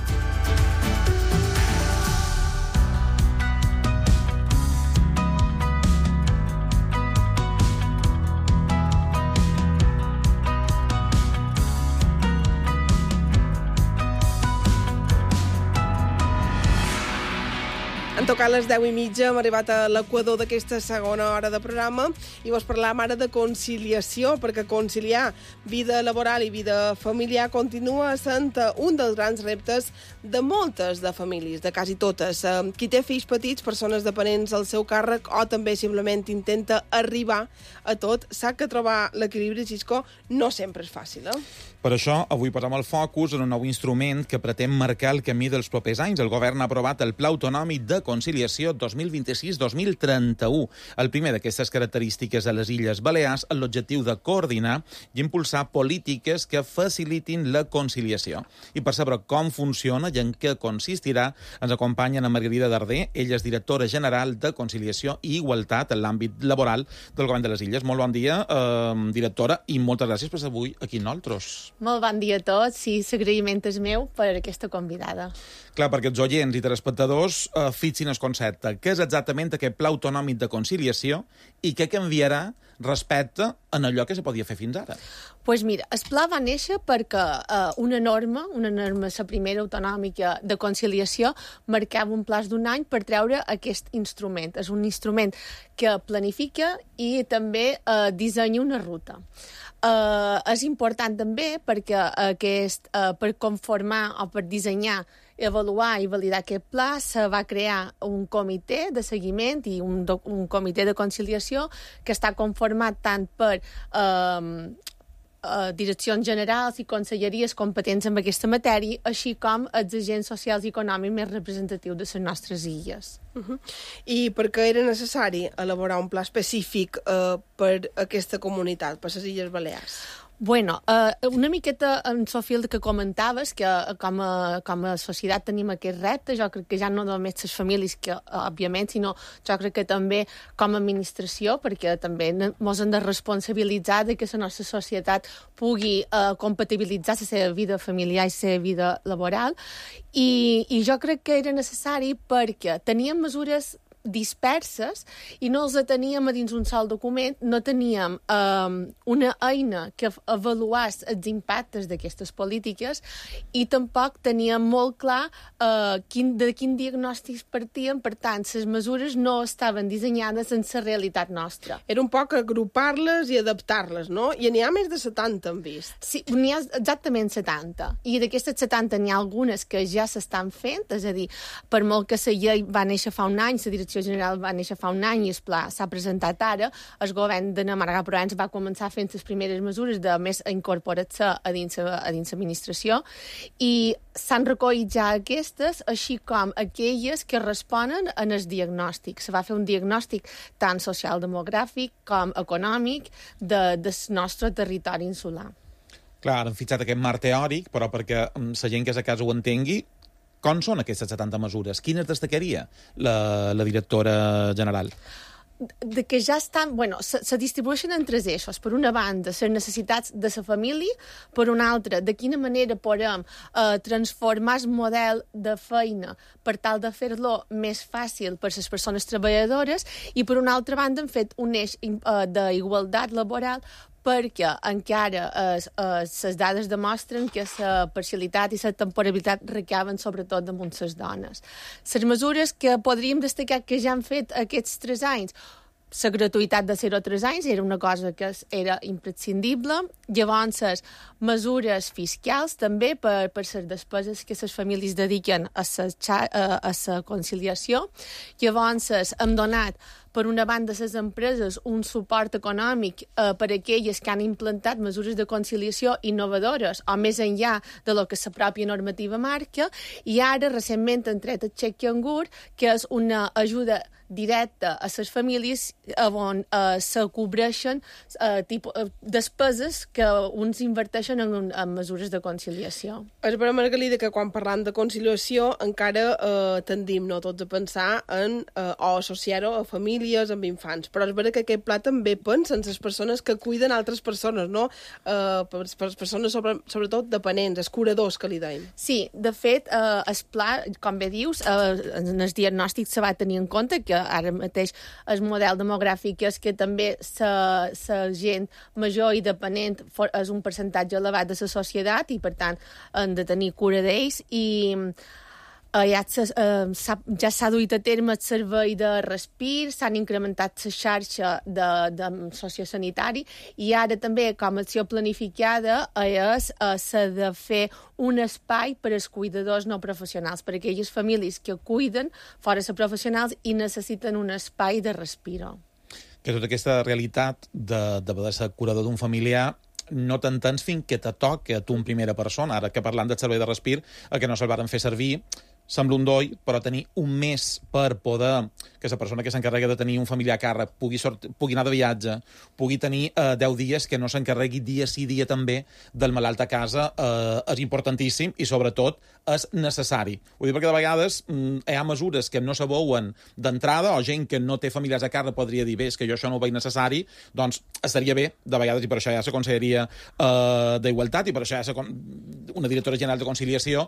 Han tocat les deu i mitja, hem arribat a l'equador d'aquesta segona hora de programa i vos parlàvem ara de conciliació, perquè conciliar vida laboral i vida familiar continua sent un dels grans reptes de moltes de famílies, de quasi totes. Qui té fills petits, persones dependents al seu càrrec o també simplement intenta arribar a tot, sap que trobar l'equilibri, Xisco, no sempre és fàcil, eh? Per això, avui posem el focus en un nou instrument que pretén marcar el camí dels propers anys. El govern ha aprovat el Pla Autonòmic de Conciliació dos mil vint-i-sis dos mil trenta-u. El primer d'aquestes característiques a les Illes Balears amb l'objectiu de coordinar i impulsar polítiques que facilitin la conciliació. I per saber com funciona i en què consistirà, ens acompanya Ana Margarida Darder. Ella és directora general de Conciliació i Igualtat en l'àmbit laboral del Govern de les Illes. Molt bon dia, eh, directora, i moltes gràcies per ser avui aquí nosaltres. Molt bon dia a tots i l'agraïment és meu per aquesta convidada. Clar, perquè els oients i telespectadors eh, fixin el concepte. Què és exactament aquest Pla Autonòmic de Conciliació i què canviarà respecte a allò que se podia fer fins ara? Doncs pues mira, el pla va néixer perquè eh, una norma, una norma, la primera autonòmica de conciliació, marcava un plaç d'un any per treure aquest instrument. És un instrument que planifica i també eh, dissenya una ruta. Uh, és important també perquè aquest, uh, per conformar o per dissenyar, avaluar i validar aquest pla se va crear un comitè de seguiment i un, do, un comitè de conciliació que està conformat tant per uh, Uh, direccions generals i conselleries competents en aquesta matèria, així com els agents socials i econòmics més representatius de les nostres illes. Uh-huh. I per què era necessari elaborar un pla específic uh, per aquesta comunitat, per les Illes Balears? Bueno, uh, una miqueta en Sofia el que comentaves, que uh, com, a, com a societat tenim aquest repte, jo crec que ja no només les famílies, que uh, òbviament, sinó jo crec que també com a administració, perquè també ens hem de responsabilitzar de que la nostra societat pugui uh, compatibilitzar la seva vida familiar i la seva vida laboral, i, i jo crec que era necessari perquè teníem mesures disperses i no els teníem a dins un sol document, no teníem um, una eina que avaluàs els impactes d'aquestes polítiques i tampoc teníem molt clar uh, quin, de quin diagnòstics partíem, per tant, les mesures no estaven dissenyades en la realitat nostra. Era un poc agrupar-les i adaptar-les, no? I n'hi ha més de setanta, hem vist. Sí, n'hi ha exactament setanta. I d'aquestes setanta n'hi ha algunes que ja s'estan fent, és a dir, per molt que la llei va néixer fa un any, la direcció general va néixer fa un any i el pla s'ha presentat ara, el govern de Namarga Provenç va començar fent les primeres mesures de més incorporar-se a dins l'administració i s'han recollit ja aquestes, així com aquelles que responen en el diagnòstic. Se va fer un diagnòstic tant social-demogràfic com econòmic de, del nostre territori insular. Clar, han fixat aquest marc teòric, però perquè la gent que és a casa ho entengui, com són aquestes setanta mesures? Quines destacaria la, la directora general? De que ja estan... Bueno, se, se distribueixen en tres eixos. Per una banda, les necessitats de la família, per una altra, de quina manera podem eh, transformar el model de feina per tal de fer-lo més fàcil per les persones treballadores i, per una altra banda, han fet un eix eh, d'igualtat laboral perquè encara les eh, dades demostren que la parcialitat i la temporalitat recaben sobretot damunt les dones. Les mesures que podríem destacar que ja han fet aquests tres anys, la gratuïtat de zero a tres anys era una cosa que era imprescindible. Llavors, mesures fiscals també per, per les despeses que les famílies dediquen a la, a la conciliació. Llavors, hem donat per una banda, les empreses un suport econòmic eh, per a aquelles que han implantat mesures de conciliació innovadores o més enllà de lo que la pròpia normativa marca, i ara recentment han tret el xec cangur, que és una ajuda directa a les famílies on eh, se cobreixen eh, tipus, eh, despeses que uns inverteixen en, en mesures de conciliació. És vera, Margalida, que quan parlam de conciliació encara eh, tendim no, tots a pensar en eh, o associar-ho a famílies, amb infants, però és vera que aquest pla també pensa en les persones que cuiden altres persones, no? Eh, per, per persones sobre, sobretot dependents, els curadors que li deim. Sí, de fet, eh, el pla, com bé dius, eh, en el diagnòstic se va tenir en compte que ara mateix el model demogràfic és que també la gent major i dependent és un percentatge elevat de la societat i, per tant, han de tenir cura d'ells i Uh, ja ja s'ha duit a terme el servei de respir, s'han incrementat la xarxa de, de sociosanitari i ara també, com a acció planificada, és uh, s'ha de fer un espai per als cuidadors no professionals, per a aquelles famílies que cuiden fora de professionals i necessiten un espai de respiro. Que tota aquesta realitat de, de poder ser curador d'un familiar no t'entens fins que te toca a tu en primera persona. Ara que parlant del servei de respir, el que no se'l varen fer servir, sembla un doll, però tenir un mes per poder que la persona que s'encarrega de tenir un familiar a càrrec pugui, sort, pugui anar de viatge, pugui tenir eh, deu dies que no s'encarregui dia sí dia també del malalt a casa, eh, és importantíssim i sobretot és necessari. Vull dir, perquè de vegades mm, hi ha mesures que no se veuen d'entrada o gent que no té familiars a càrrec podria dir, bé, és que jo això no ho veig necessari, doncs estaria bé de vegades, i per això hi ha la Conselleria eh, d'Igualtat i per això hi ha una directora general de conciliació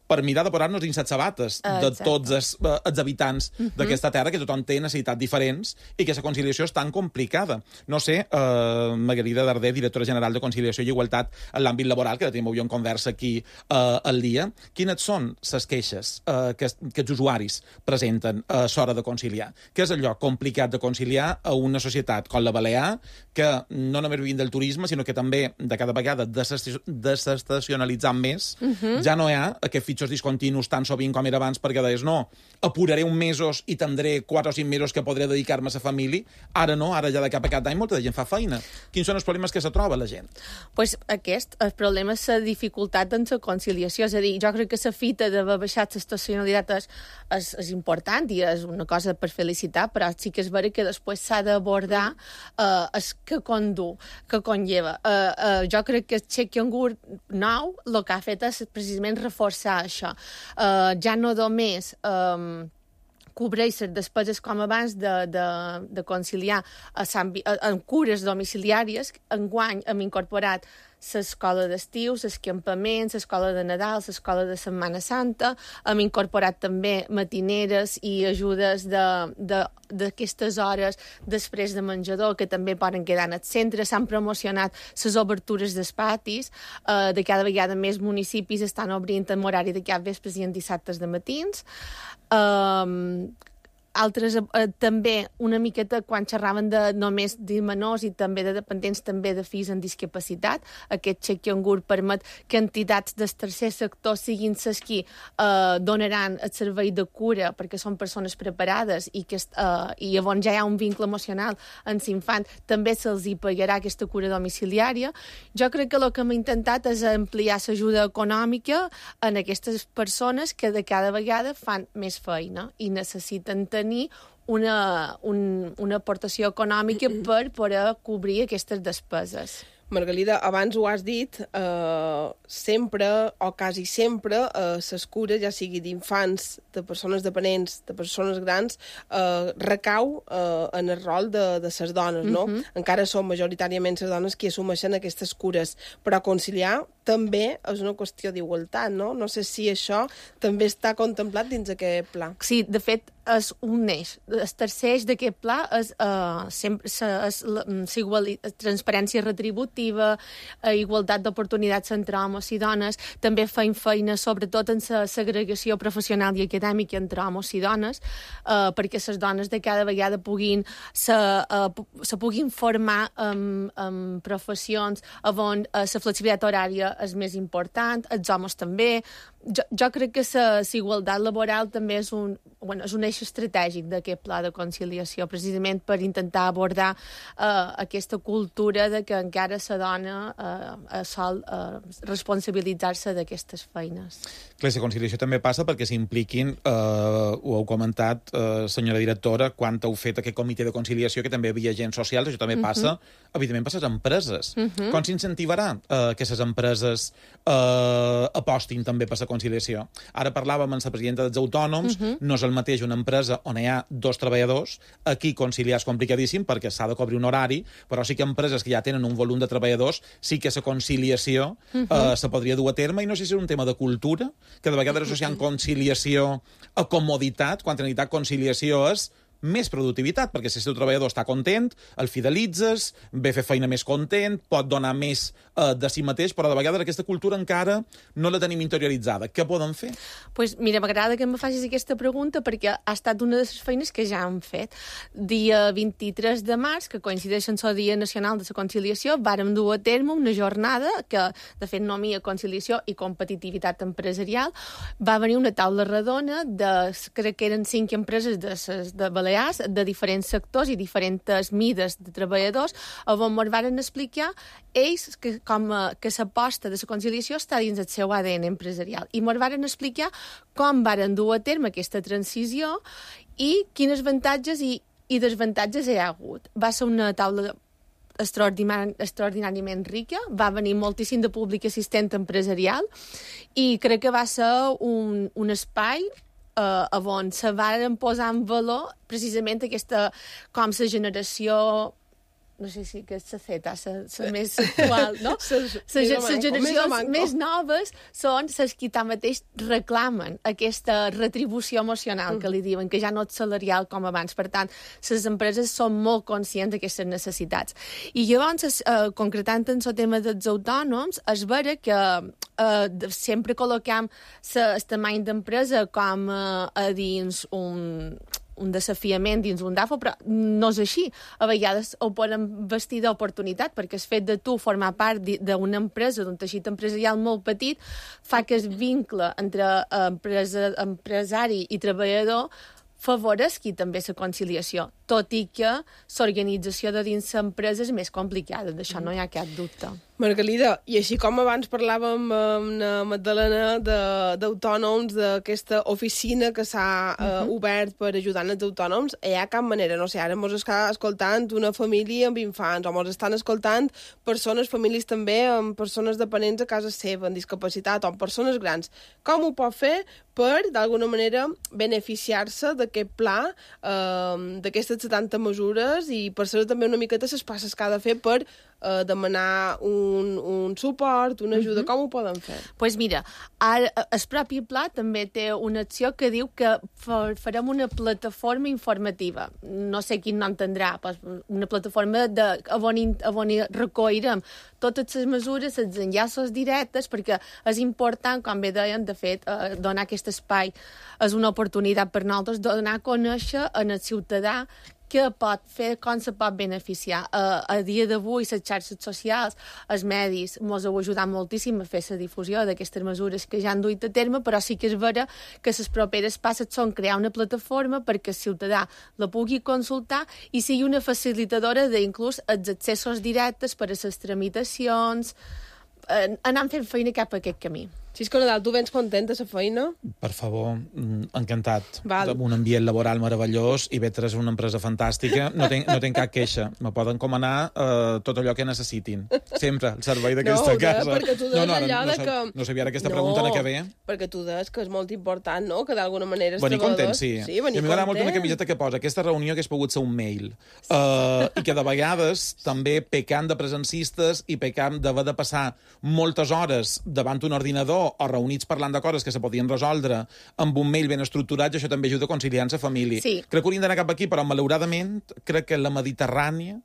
per mirar de posar-nos dins les sabates de Exacte. tots els, els habitants uh-huh. d'aquesta terra, que tothom té necessitats diferents i que la conciliació és tan complicada. No sé, eh, Margarida Darder, directora general de Conciliació i Igualtat en l'àmbit laboral, que tenim avui en conversa aquí eh, al dia, quines són les queixes eh, que, que els usuaris presenten a l'hora de conciliar? Què és allò complicat de conciliar a una societat com la Balear, que no només vivim del turisme, sinó que també de cada vegada desestacionalitzant més, uh-huh. ja no hi ha aquest pitjors discontinus tan sovint com era abans, perquè deies, no, apuraré un mesos i tindré quatre o cinc mesos que podré dedicar-me a la família. Ara no, ara ja de cap a cap d'any molta gent fa feina. Quins són els problemes que se troba la gent? Pues aquest, el problema és la dificultat en la conciliació. És a dir, jo crec que la fita d'haver baixat l'estacionalitat és, és, és important i és una cosa per felicitar, però sí que és vera que després s'ha d'abordar eh, el que condu, que conlleva. Eh, eh, jo crec que el xec cangur nou el que ha fet és precisament reforçar això. Uh, ja no només um, cobreix les despeses com abans de, de, de conciliar a Sant, a, en cures domiciliàries. Enguany hem incorporat l'escola d'estiu, els campaments, l'escola de Nadal, l'escola de Setmana Santa. Hem incorporat també matineres i ajudes d'aquestes hores després de menjador, que també poden quedar en el centre. S'han promocionat les obertures dels patis. Eh, de cada vegada més municipis estan obrint en horari de cap vespres i en dissabtes de matins. Eh, altres eh, també una miqueta quan xerraven de només de menors i també de dependents, també de fills amb discapacitat. Aquest xec cangur permet que entitats del tercer sector siguin les qui eh, donaran el servei de cura perquè són persones preparades i, que, eh, i llavors ja hi ha un vincle emocional amb l'infant. També se'ls hi pagarà aquesta cura domiciliària. Jo crec que el que hem intentat és ampliar l'ajuda econòmica en aquestes persones que de cada vegada fan més feina i necessiten tenir una, un, una aportació econòmica per poder cobrir aquestes despeses. Margalida, abans ho has dit, eh, sempre, o quasi sempre, eh, les cures, ja sigui d'infants, de persones dependents, de persones grans, eh, recau eh, en el rol de, de les dones, no? Uh-huh. Encara són majoritàriament les dones qui assumeixen aquestes cures, però conciliar també és una qüestió d'igualtat, no? No sé si això també està contemplat dins aquest pla. Sí, de fet, és un eix. El tercer eix d'aquest pla és, uh, sempre, és la, la transparència retributiva, uh, igualtat d'oportunitats entre homes i dones. També feim feina, sobretot, en la segregació professional i acadèmica entre homes i dones, uh, perquè les dones de cada vegada puguin se, uh, se puguin formar en, en professions on uh, la flexibilitat horària és més important, els homes també. Jo, jo crec que la igualtat laboral també és un, bueno, és un eix estratègic d'aquest pla de conciliació, precisament per intentar abordar uh, aquesta cultura de que encara la dona uh, sol uh, responsabilitzar-se d'aquestes feines. Clar, la conciliació també passa perquè s'impliquin, eh, ho heu comentat, eh, senyora directora, quan heu fet aquest comitè de conciliació, que també hi havia agents socials, això també passa, uh-huh. evidentment, per les empreses. Uh-huh. Com s'incentivarà eh, que les empreses eh, apostin també per la conciliació? Ara parlàvem amb la presidenta dels autònoms, uh-huh. no és el mateix una empresa on hi ha dos treballadors, aquí conciliar és complicadíssim perquè s'ha de cobrir un horari, però sí que empreses que ja tenen un volum de treballadors, sí que la conciliació uh-huh. eh, se podria dur a terme, i no sé si és un tema de cultura, que de vegades associant conciliació a comoditat, quan en realitat conciliació és més productivitat, perquè si el teu treballador està content, el fidelitzes, ve a fer feina més content, pot donar més eh, de si mateix, però de vegades aquesta cultura encara no la tenim interioritzada. Què poden fer? Pues mira, m'agrada que em facis aquesta pregunta perquè ha estat una de les feines que ja hem fet. Dia vint-i-tres de març, que coincideix amb el Dia Nacional de la Conciliació, vàrem dur a terme una jornada que, de fet, nomia conciliació i competitivitat empresarial. Va venir una taula redona de, crec que eren cinc empreses de, de Balears, de diferents sectors i diferents mides de treballadors, on ens van explicar ells que, com a, que l'aposta de la conciliació està dins del seu A D N empresarial. I ens van explicar com varen dur a terme aquesta transició i quins avantatges i, i desavantatges hi ha hagut. Va ser una taula extraordinari, extraordinàriament rica, va venir moltíssim de públic assistent empresarial i crec que va ser un, un espai Uh, on se van posar en valor precisament aquesta, com la generació, no sé si que és la Z, la més actual, no? Les generacions més noves són les que tanmateix reclamen aquesta retribució emocional que li diuen, que ja no és salarial com abans. Per tant, les empreses són molt conscients d'aquestes necessitats. I llavors, eh, concretant en el tema dels autònoms, és vera que eh, sempre col·loquem el tamany d'empresa com eh, a dins un un desafiament dins un D A F O, però no és així. A vegades ho poden vestir d'oportunitat, perquè el fet de tu formar part d'una empresa, d'un teixit empresarial molt petit, fa que el vincle entre empresa, empresari i treballador favoresqui també la conciliació, tot i que l'organització de dins l'empresa és més complicada, d'això no hi ha cap dubte. Margalida, i així com abans parlàvem amb la Magdalena d'autònoms, d'aquesta oficina que s'ha uh, uh-huh. obert per ajudar els autònoms, hi ha cap manera, no sé, ara ens està escoltant una família amb infants, o ens estan escoltant persones, famílies també, amb persones dependents a casa seva, amb discapacitat, o amb persones grans. Com ho pot fer per, d'alguna manera, beneficiar-se d'aquest pla, eh, d'aquestes setanta mesures, i per saber també una miqueta les passes que ha de fer per eh, demanar un, un suport, una ajuda. Uh-huh. Com ho poden fer? Doncs pues mira, ara, el propi pla també té una acció que diu que farem una plataforma informativa. No sé quin nom tindrà, una plataforma de, on, on recollirem totes les mesures, els enllaços directes, perquè és important, com bé deien, de fet, eh, donar aquest espai és una oportunitat per nosaltres, donar a conèixer en el ciutadà què pot fer, com se pot beneficiar. Uh, a dia d'avui, les xarxes socials, els medis, ens heu ajudat moltíssim a fer la difusió d'aquestes mesures que ja han duit a terme, però sí que és vera que les properes passes són crear una plataforma perquè el ciutadà la pugui consultar i sigui una facilitadora d'inclús els accessos directes per a les tramitacions, uh, anant fent feina cap a aquest camí. Xisco Nadal, tu vens content de la feina? Per favor, encantat. Val. Un ambient laboral meravellós, i Ivetra és una empresa fantàstica, no tenc, no tenc cap queixa. Me poden comanar uh, tot allò que necessitin. Sempre, el servei d'aquesta no, casa. No, perquè tu deies no, no, allò no, de que... No sabia ara aquesta no, pregunta en què ve. perquè tu deies que és molt important, no?, que d'alguna manera els venir treballadors... content, sí. Sí, venir I a mi m'agrada molt una content. camiseta que posa aquesta reunió que hagués pogut ser un mail. Uh, I que de vegades també pecant de presencistes i pecant d'haver de passar moltes hores davant un ordinador o reunits parlant de coses que se podien resoldre amb un mail ben estructurat, això també ajuda a conciliar la família. Sí. Crec que hauríem d'anar cap aquí, però malauradament crec que la Mediterrània,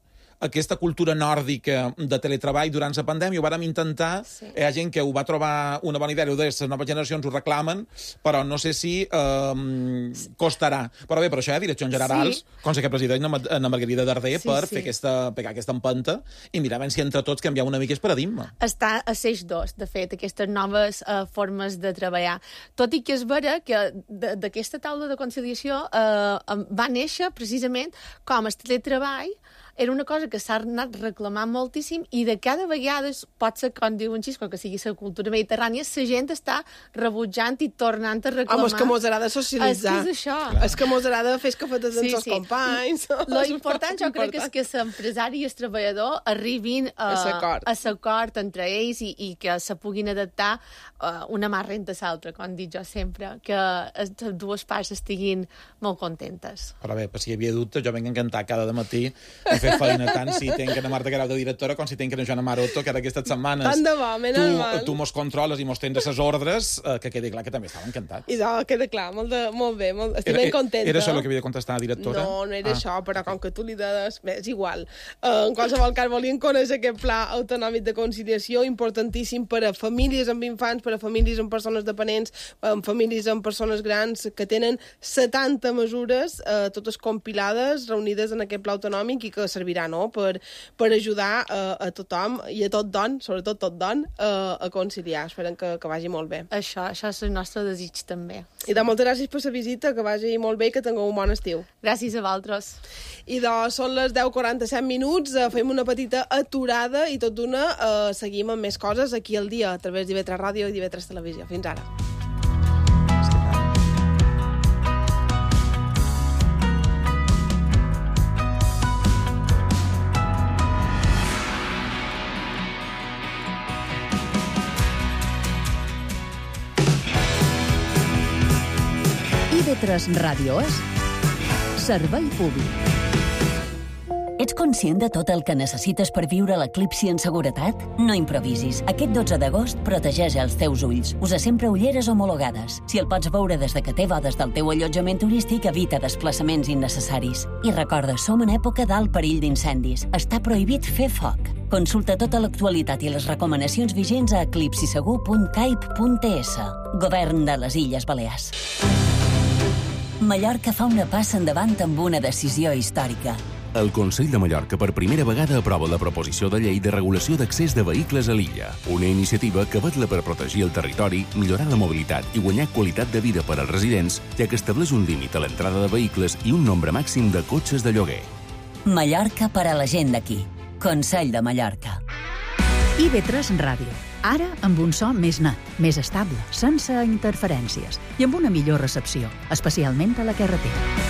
aquesta cultura nòrdica de teletreball durant la pandèmia, ho vàrem intentar, sí. Hi ha gent que ho va trobar una bona idea, les noves generacions ho reclamen, però no sé si eh, costarà. Però bé, per això hi ha direccions generals, sí. Com sé que president Ana Margarida Darder, sí, per sí. fer aquesta, pegar aquesta empenta i mirar si entre tots canviar una mica el paradigma. Està a l'eix dos, de fet, aquestes noves uh, formes de treballar. Tot i que és vera que d'aquesta taula de conciliació uh, va néixer precisament com el teletreball era una cosa que s'ha anat reclamant moltíssim i de cada vegada, pot ser, com diu en Xisco, que sigui la cultura mediterrània, la gent està rebutjant i tornant a reclamar. Home, és que mos agrada socialitzar. És que és això. Clar. És que mos agrada fer escafetes amb sí, els sí. companys. Lo important, jo crec, és que l'empresari i el treballador arribin a, a l'acord entre ells i, i que se puguin adaptar uh, una mà renta a l'altra, com dic jo sempre, que les dues parts estiguin molt contentes. Però bé, per si hi havia dubtes, jo venc encantat cada matí a fer feina, tant si tenc una Marta Guerau de directora com si tenc una Joana Maroto, que ara aquestes setmanes tant de bo, menys mal. Tu, tu mos controles i mos tens les ordres, eh, que quedi clar que també estava encantat. I no, queda clar, molt, de, molt bé, molt, estic era, ben contenta. Era això el que havia de contestar la directora? No, no era ah. això, però com que tu li deies, bé, és igual. Uh, en qualsevol cas, volien conèixer aquest pla autonòmic de conciliació, importantíssim per a famílies amb infants, per a famílies amb persones dependents, amb famílies amb persones grans, que tenen setanta mesures, uh, totes compilades, reunides en aquest pla autonòmic i que servirà, no?, per, per ajudar uh, a tothom i a tot don, sobretot tot don, uh, a conciliar. Esperem que, que vagi molt bé. Això, això és el nostre desig també. I de moltes gràcies per la visita, que vagi molt bé i que tingueu un bon estiu. Gràcies a vosaltres. I doncs són les deu quaranta-set minuts, uh, fem una petita aturada i tot d'una uh, seguim amb més coses aquí al dia, a través d'I V tres Ràdio i d'I V tres Televisió. Fins ara. I V tres Ràdio és servei públic. Ets conscient de tot el que necessites per viure l'eclipsi en seguretat? No improvisis. Aquest dotze d'agost protegeix els teus ulls. Usa sempre ulleres homologades. Si el pots veure des de que té bodes del teu allotjament turístic, evita desplaçaments innecessaris. I recorda, som en època d'alt perill d'incendis. Està prohibit fer foc. Consulta tota l'actualitat i les recomanacions vigents a eclipsisegur punt caip punt es. Govern de les Illes Balears. Mallorca fa una passa endavant amb una decisió històrica. El Consell de Mallorca per primera vegada aprova la proposició de llei de regulació d'accés de vehicles a l'illa, una iniciativa que vetla per protegir el territori, millorar la mobilitat i guanyar qualitat de vida per als residents, ja que estableix un límit a l'entrada de vehicles i un nombre màxim de cotxes de lloguer. Mallorca per a la gent d'aquí. Consell de Mallorca. I ve tres Ràdio. Ara amb un so més net, més estable, sense interferències i amb una millor recepció, especialment a la carretera.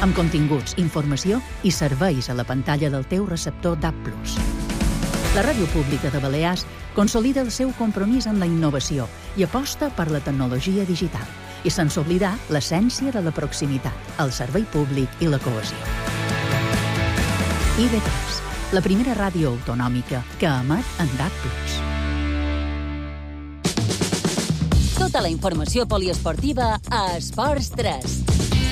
Amb continguts, informació i serveis a la pantalla del teu receptor D A B plus. La Ràdio Pública de Balears consolida el seu compromís amb la innovació i aposta per la tecnologia digital, i sense oblidar l'essència de la proximitat, el servei públic i la cohesió. I ve tres, la primera ràdio autonòmica que emet en D A B plus. Tota la informació poliesportiva a Esports tres.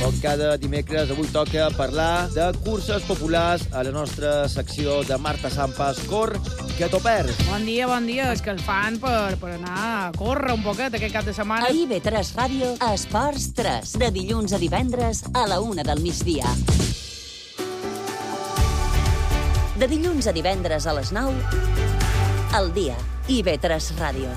Com cada dimecres, avui toca parlar de curses populars a la nostra secció de Marta Sampas. Cor, que t'ho perds. Bon dia, bon dia. És que el fan per, per anar a córrer un poquet aquest cap de setmana. A I ve tres Ràdio, a Esports tres, de dilluns a divendres a la una del migdia. De dilluns a divendres a les nou, al dia, I ve tres Ràdio.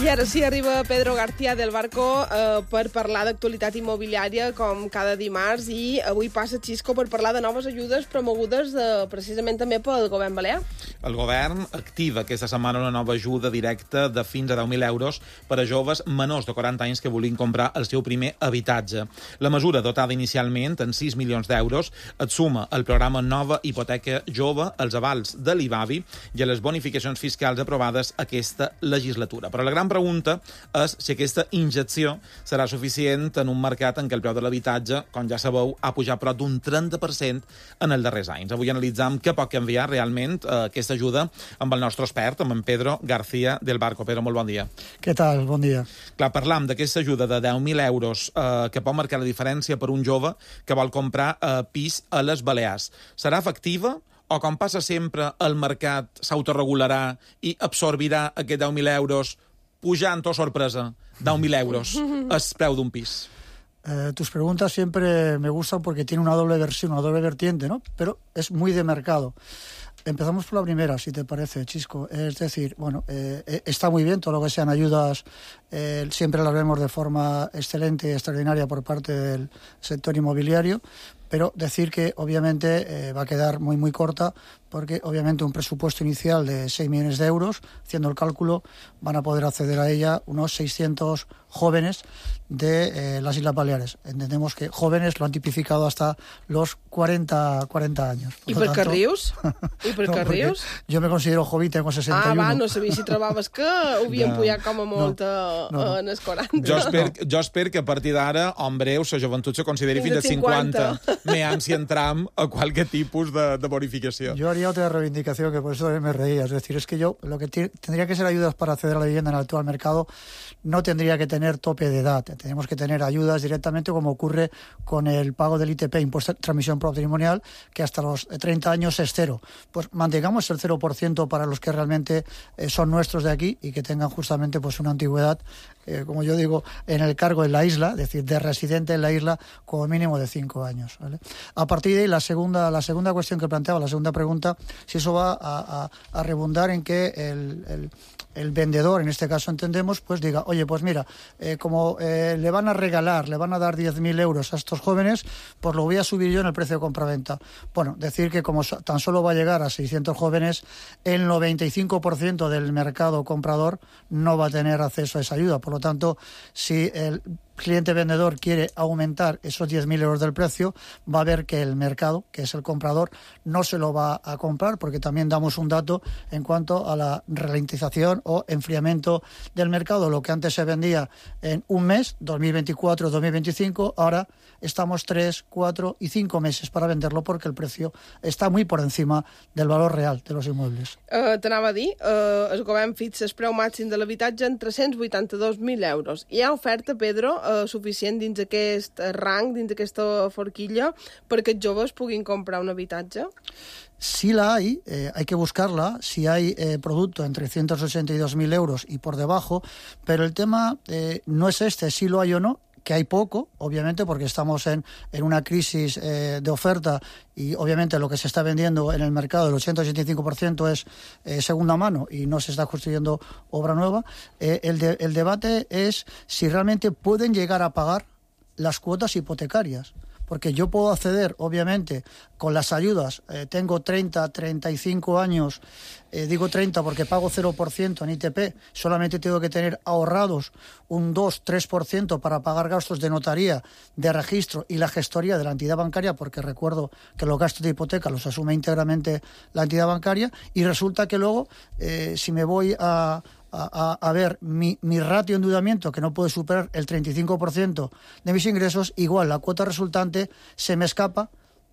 I ara sí, arriba Pedro García del Barco eh, per parlar d'actualitat immobiliària com cada dimarts, i avui passa Xisco per parlar de noves ajudes promogudes de, precisament també pel govern balear. El govern activa aquesta setmana una nova ajuda directa de fins a deu mil euros per a joves menors de quaranta anys que vulguin comprar el seu primer habitatge. La mesura, dotada inicialment en sis milions d'euros, et suma al programa Nova Hipoteca Jove, als avals de l'I B A B I i a les bonificacions fiscals aprovades aquesta legislatura. Però la gran pregunta és si aquesta injecció serà suficient en un mercat en què el preu de l'habitatge, com ja sabeu, ha pujat prop d'un trenta per cent en els darrers anys. Avui analitzam què pot canviar realment eh, aquesta ajuda amb el nostre expert, amb en Pedro García del Barco. Pedro, molt bon dia. Què tal? Bon dia. Clar, parlam d'aquesta ajuda de deu mil euros eh, que pot marcar la diferència per un jove que vol comprar eh, pis a les Balears. Serà efectiva? O, com passa sempre, el mercat s'autoregularà i absorbirà aquests deu mil euros pujant, o sorpresa, deu mil euros el preu d'un pis? Eh, tus preguntas siempre me gustan porque tiene una doble versión, una doble vertiente, ¿no? Pero es muy de mercado. Empezamos por la primera, si te parece, Chisco. Es decir, bueno, eh, está muy bien todo lo que sean ayudas, eh, siempre las vemos de forma excelente y extraordinaria por parte del sector inmobiliario, pero decir que obviamente eh, va a quedar muy muy corta, porque obviamente un presupuesto inicial de seis millones de euros, haciendo el cálculo, van a poder acceder a ella unos seiscientos jóvenes de eh, las Islas Baleares. Entendemos que jóvenes lo han tipificado hasta los cuarenta años. I per què rius? I per què rius? Jo me considero joven, tengo seixanta i u. Ah, va, no sabia si trobaves que ho havien no, pujat com a molt no, no, no. en els quaranta. Jo espero, jo espero que a partir d'ara, en breu, la joventut se consideri fins als cinquanta. Meam si entram a qualque tipus de, de bonificació. Yo haría otra reivindicación, que por eso también me reía. Es decir, es que yo, lo que tendría que ser ayudas para acceder a la vivienda en el actual mercado, no tendría que tener tope de edad. Tenemos que tener ayudas directamente, como ocurre con el pago del I T P, impuesto de transmisión patrimonial, que hasta los treinta años es cero. Pues mantengamos el cero por ciento para los que realmente eh, son nuestros de aquí y que tengan justamente pues una antigüedad, eh, como yo digo, en el cargo en la isla, es decir, de residente en la isla, como mínimo de cinco años. ¿Vale? A partir de ahí, la segunda, la segunda cuestión que planteaba, la segunda pregunta, si eso va a, a, a redundar en que el, el, el vendedor, en este caso entendemos, pues diga, oye, pues mira, eh, como eh, le van a regalar, le van a dar diez mil euros a estos jóvenes, pues lo voy a subir yo en el precio de compraventa. Bueno, decir que como tan solo va a llegar a seiscientos jóvenes, el noventa y cinco por ciento del mercado comprador no va a tener acceso a esa ayuda. Por lo tanto, si el cliente vendedor quiere aumentar esos diez mil euros del precio, va a ver que el mercado, que es el comprador, no se lo va a comprar, porque también damos un dato en cuanto a la ralentización o enfriamiento del mercado. Lo que antes se vendía en un mes, dos mil veinticuatro dos mil veinticinco, ahora estamos tres, cuatro y cinco meses para venderlo, porque el precio está muy por encima del valor real de los inmuebles. Uh, T'anava a dir, uh, el govern fixa el preu màxim de l'habitatge en tres-cents vuitanta-dos mil euros. Hi ha oferta, Pedro, uh, suficient dins aquest rang, dins aquesta forquilla, perquè els joves puguin comprar un habitatge? Si la hay, eh, hay que buscarla, si hay eh, producto en trescientos ochenta y dos mil euros y por debajo, pero el tema eh, no es este, si lo hay o no, que hay poco, obviamente, porque estamos en, en una crisis eh, de oferta y obviamente lo que se está vendiendo en el mercado, el ochenta a ochenta y cinco por ciento es eh, segunda mano y no se está construyendo obra nueva. Eh, el, de, el debate es si realmente pueden llegar a pagar las cuotas hipotecarias. Porque yo puedo acceder, obviamente, con las ayudas, eh, tengo treinta, treinta y cinco años, eh, digo treinta porque pago cero por ciento en I T P, solamente tengo que tener ahorrados un dos, tres por ciento para pagar gastos de notaría, de registro y la gestoría de la entidad bancaria, porque recuerdo que los gastos de hipoteca los asume íntegramente la entidad bancaria, y resulta que luego, eh, si me voy a... A, a, a ver mi, mi ratio de endeudamiento, que no puede superar el treinta y cinco por ciento de mis ingresos, igual la cuota resultante se me escapa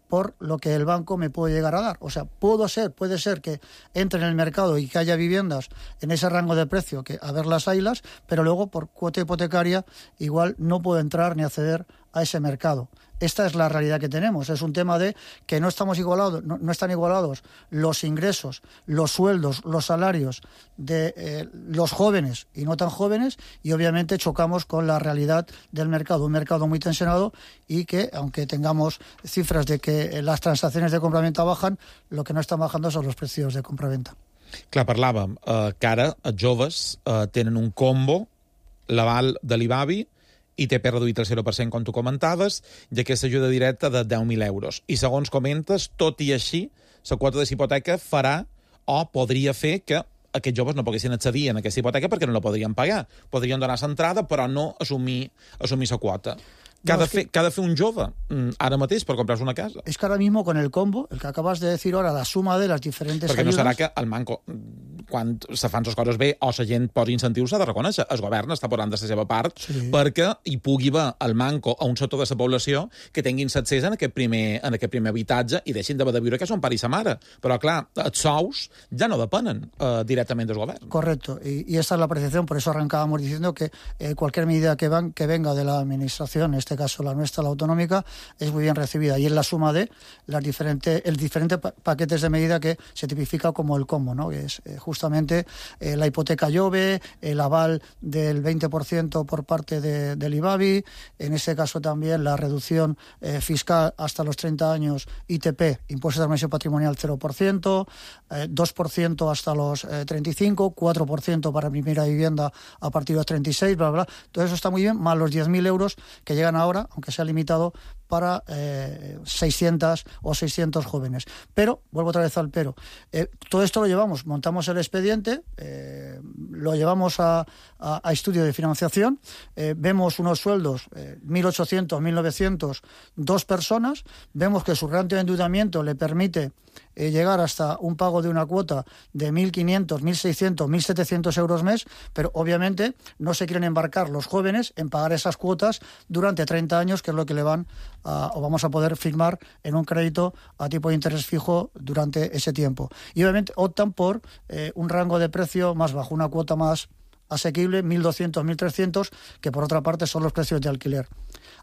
por lo que el banco me puede llegar a dar. O sea, puedo ser, puede ser que entre en el mercado y que haya viviendas en ese rango de precio, que a ver las haylas, pero luego por cuota hipotecaria igual no puedo entrar ni acceder a ese mercado. Esta es la realidad que tenemos. Es un tema de que no estamos igualados, no, no están igualados los ingresos, los sueldos, los salarios de eh, los jóvenes y no tan jóvenes, y obviamente chocamos con la realidad del mercado, un mercado muy tensionado y que, aunque tengamos cifras de que las transacciones de compraventa bajan, lo que no están bajando son los precios de compraventa. Clar, parlàvem eh, que ara els joves eh, tenen un combo, l'aval de l'IBABI, I T P reduït al zero per cent, com tu comentaves, i aquesta ajuda directa de deu mil euros. I segons comentes, tot i així, la quota de hipoteca farà o podria fer que aquests joves no poguessin accedir a aquesta hipoteca perquè no la podrien pagar. Podrien donar l'entrada, però no assumir assumir la quota. ¿Qué ha de fer, que... hacer un jove ara mateix per comprar-se una casa? Es que ahora mismo con el combo, el que acabas de decir ahora, la suma de las diferentes Perquè ayudas... no serà que el manco, quan se fan les coses bé o la gent posa incentius, s'ha de reconèixer. El govern està posant de la seva part sí. perquè hi pugui haver el manco a un sector de la població que tinguin accés en aquest primer, en aquest primer habitatge i deixin de viure que són pare i sa mare. Però, clar, els sous ja no depenen eh, directament del govern. Correcto, y, y esta es la apreciación, por eso arrancábamos diciendo que eh, cualquier medida que, van, que venga de la administración, en este caso la nuestra, la autonómica, es muy bien recibida. Y es la suma de las diferentes, el diferentes pa paquetes de medida que se tipifica como el combo, ¿no? Que es eh, justamente eh, la hipoteca Jove, el aval del veinte por ciento por parte de, del IBABI, en ese caso también la reducción eh, fiscal hasta los treinta años, I T P, impuesto de transmisión patrimonial cero por ciento, eh, dos por ciento hasta los eh, treinta y cinco, cuatro por ciento para primera vivienda a partir de los treinta y seis, bla, bla. Todo eso está muy bien, más los diez mil euros que llegan ahora, aunque sea limitado, para eh, seiscientos o seiscientos jóvenes. Pero, vuelvo otra vez al pero, eh, todo esto lo llevamos, montamos el expediente, eh, lo llevamos a, a, a estudio de financiación, eh, vemos unos sueldos, eh, mil ochocientos, mil novecientos, dos personas, vemos que su ratio de endeudamiento le permite eh, llegar hasta un pago de una cuota de mil quinientos, mil seiscientos, mil setecientos euros mes, pero obviamente no se quieren embarcar los jóvenes en pagar esas cuotas durante treinta años, que es lo que le van a, o vamos a poder firmar en un crédito a tipo de interés fijo durante ese tiempo. Y obviamente optan por eh, un rango de precio más bajo, una cuota más asequible, mil doscientos, mil trescientos, que por otra parte son los precios de alquiler.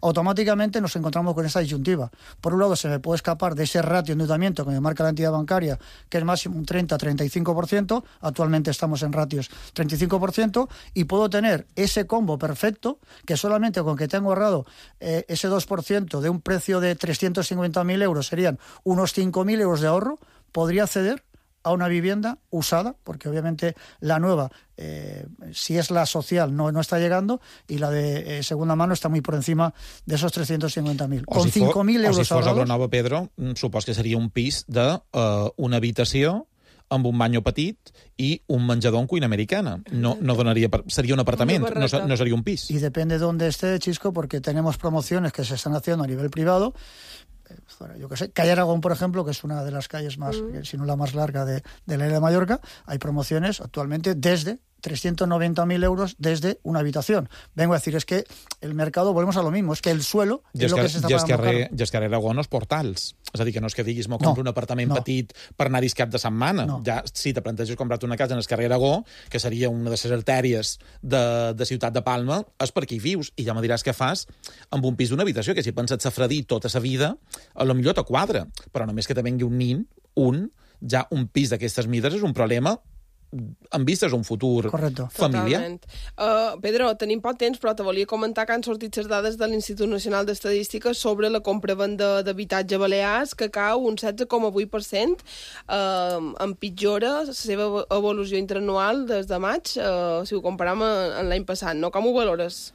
Automáticamente nos encontramos con esa disyuntiva. Por un lado, se me puede escapar de ese ratio de endeudamiento que me marca la entidad bancaria, que es máximo un treinta a treinta y cinco por ciento, actualmente estamos en ratios treinta y cinco por ciento, y puedo tener ese combo perfecto, que solamente con que tengo ahorrado eh, ese dos por ciento de un precio de trescientos cincuenta mil euros, serían unos cinco mil euros de ahorro, podría acceder a una vivienda usada, porque obviamente la nueva, eh, si es la social, no, no está llegando, y la de eh, segunda mano está muy por encima de esos trescientos cincuenta mil. Con si cinco mil euros o si fos ahorrados... la nova, Pedro, supos que seria un pis de uh, una habitació amb un banyo petit i un menjador en cuina americana. No, no donaría, sería un apartament, no, no sería un pis. Y depende de dónde esté, Chisco, porque tenemos promociones que se están haciendo a nivel privado. Yo qué sé, Calle Aragón, por ejemplo, que es una de las calles más, mm. si no la más larga de, de la isla de Mallorca, hay promociones actualmente desde trescientos noventa mil euros desde una habitación. Vengo a decir, es que el mercado, volvemos a lo mismo, es que el suelo I és el que s'està pagant molt car. I és que Aragó no és portals. És a dir, que no és que diguis, m'ho compro no, un apartament no. petit per anar-hi cap de setmana. No. Ja, si te planteges comprar-te una casa en el carrer Aragó, que seria una de les artèries de, de Ciutat de Palma, és per aquí vius. I ja me diràs què fas amb un pis d'una habitació, que si penses safradí tota sa vida, a lo millor te quadra. Però només que te vengui un nin, un, ja un pis d'aquestes mides és un problema amb vistes a un futur Correcto. familiar. Uh, Pedro, tenim poc temps, però te volia comentar que han sortit les dades de l'Institut Nacional d'Estadística sobre la compra-venda d'habitatge a Balears, que cau un setze coma vuit per cent, uh, empitjora la seva evolució interanual des de maig, uh, si ho comparam amb l'any passat, no? Com ho valores?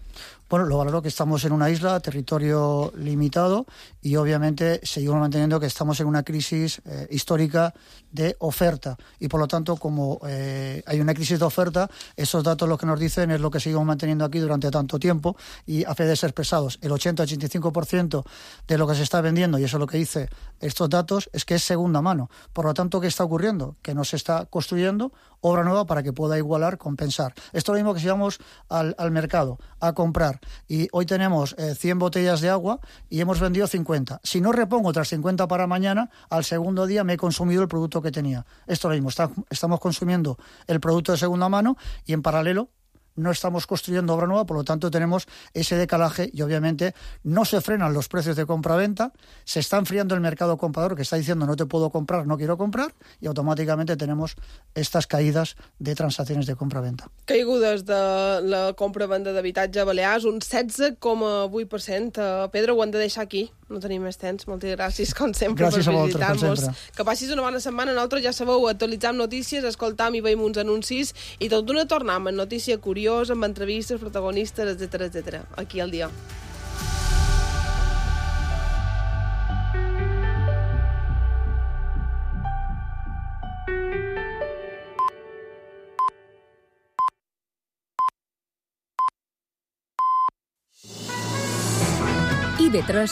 Bueno, lo valoro que estamos en una isla, territorio limitado, y obviamente seguimos manteniendo que estamos en una crisis eh, histórica de oferta. Y por lo tanto, como eh, hay una crisis de oferta, esos datos lo que nos dicen es lo que seguimos manteniendo aquí durante tanto tiempo, y a fe de ser pesados, el ochenta a ochenta y cinco por ciento de lo que se está vendiendo, y eso es lo que dice estos datos, es que es segunda mano. Por lo tanto, ¿qué está ocurriendo? Que no se está construyendo obra nueva para que pueda igualar, compensar. Esto es lo mismo que si vamos al, al mercado a comprar y hoy tenemos eh, cien botellas de agua y hemos vendido cincuenta. Si no repongo otras cincuenta para mañana, al segundo día me he consumido el producto que tenía. Esto es lo mismo, está, estamos consumiendo el producto de segunda mano y en paralelo no estamos construyendo obra nueva, por lo tanto tenemos ese decalaje y obviamente no se frenan los precios de compra-venta, se está enfriando el mercado comprador que está diciendo no te puedo comprar, no quiero comprar, y automáticamente tenemos estas caídas de transacciones de compra-venta. Caigudes de la compra-venda d'habitatge a Balears, un setze coma vuit per cent. Uh, Pedro, ho hem de deixar aquí, no tenim més temps. Moltes gràcies, com sempre, gràcies per visitar-nos. Que passis una bona setmana. Nosaltres, ja sabeu, actualitzam notícies, escoltam i veiem uns anuncis, i tot d'una tornem amb notícia curiosa, amb entrevistes, protagonistes, etcètera, etcètera. Aquí al dia. I B tres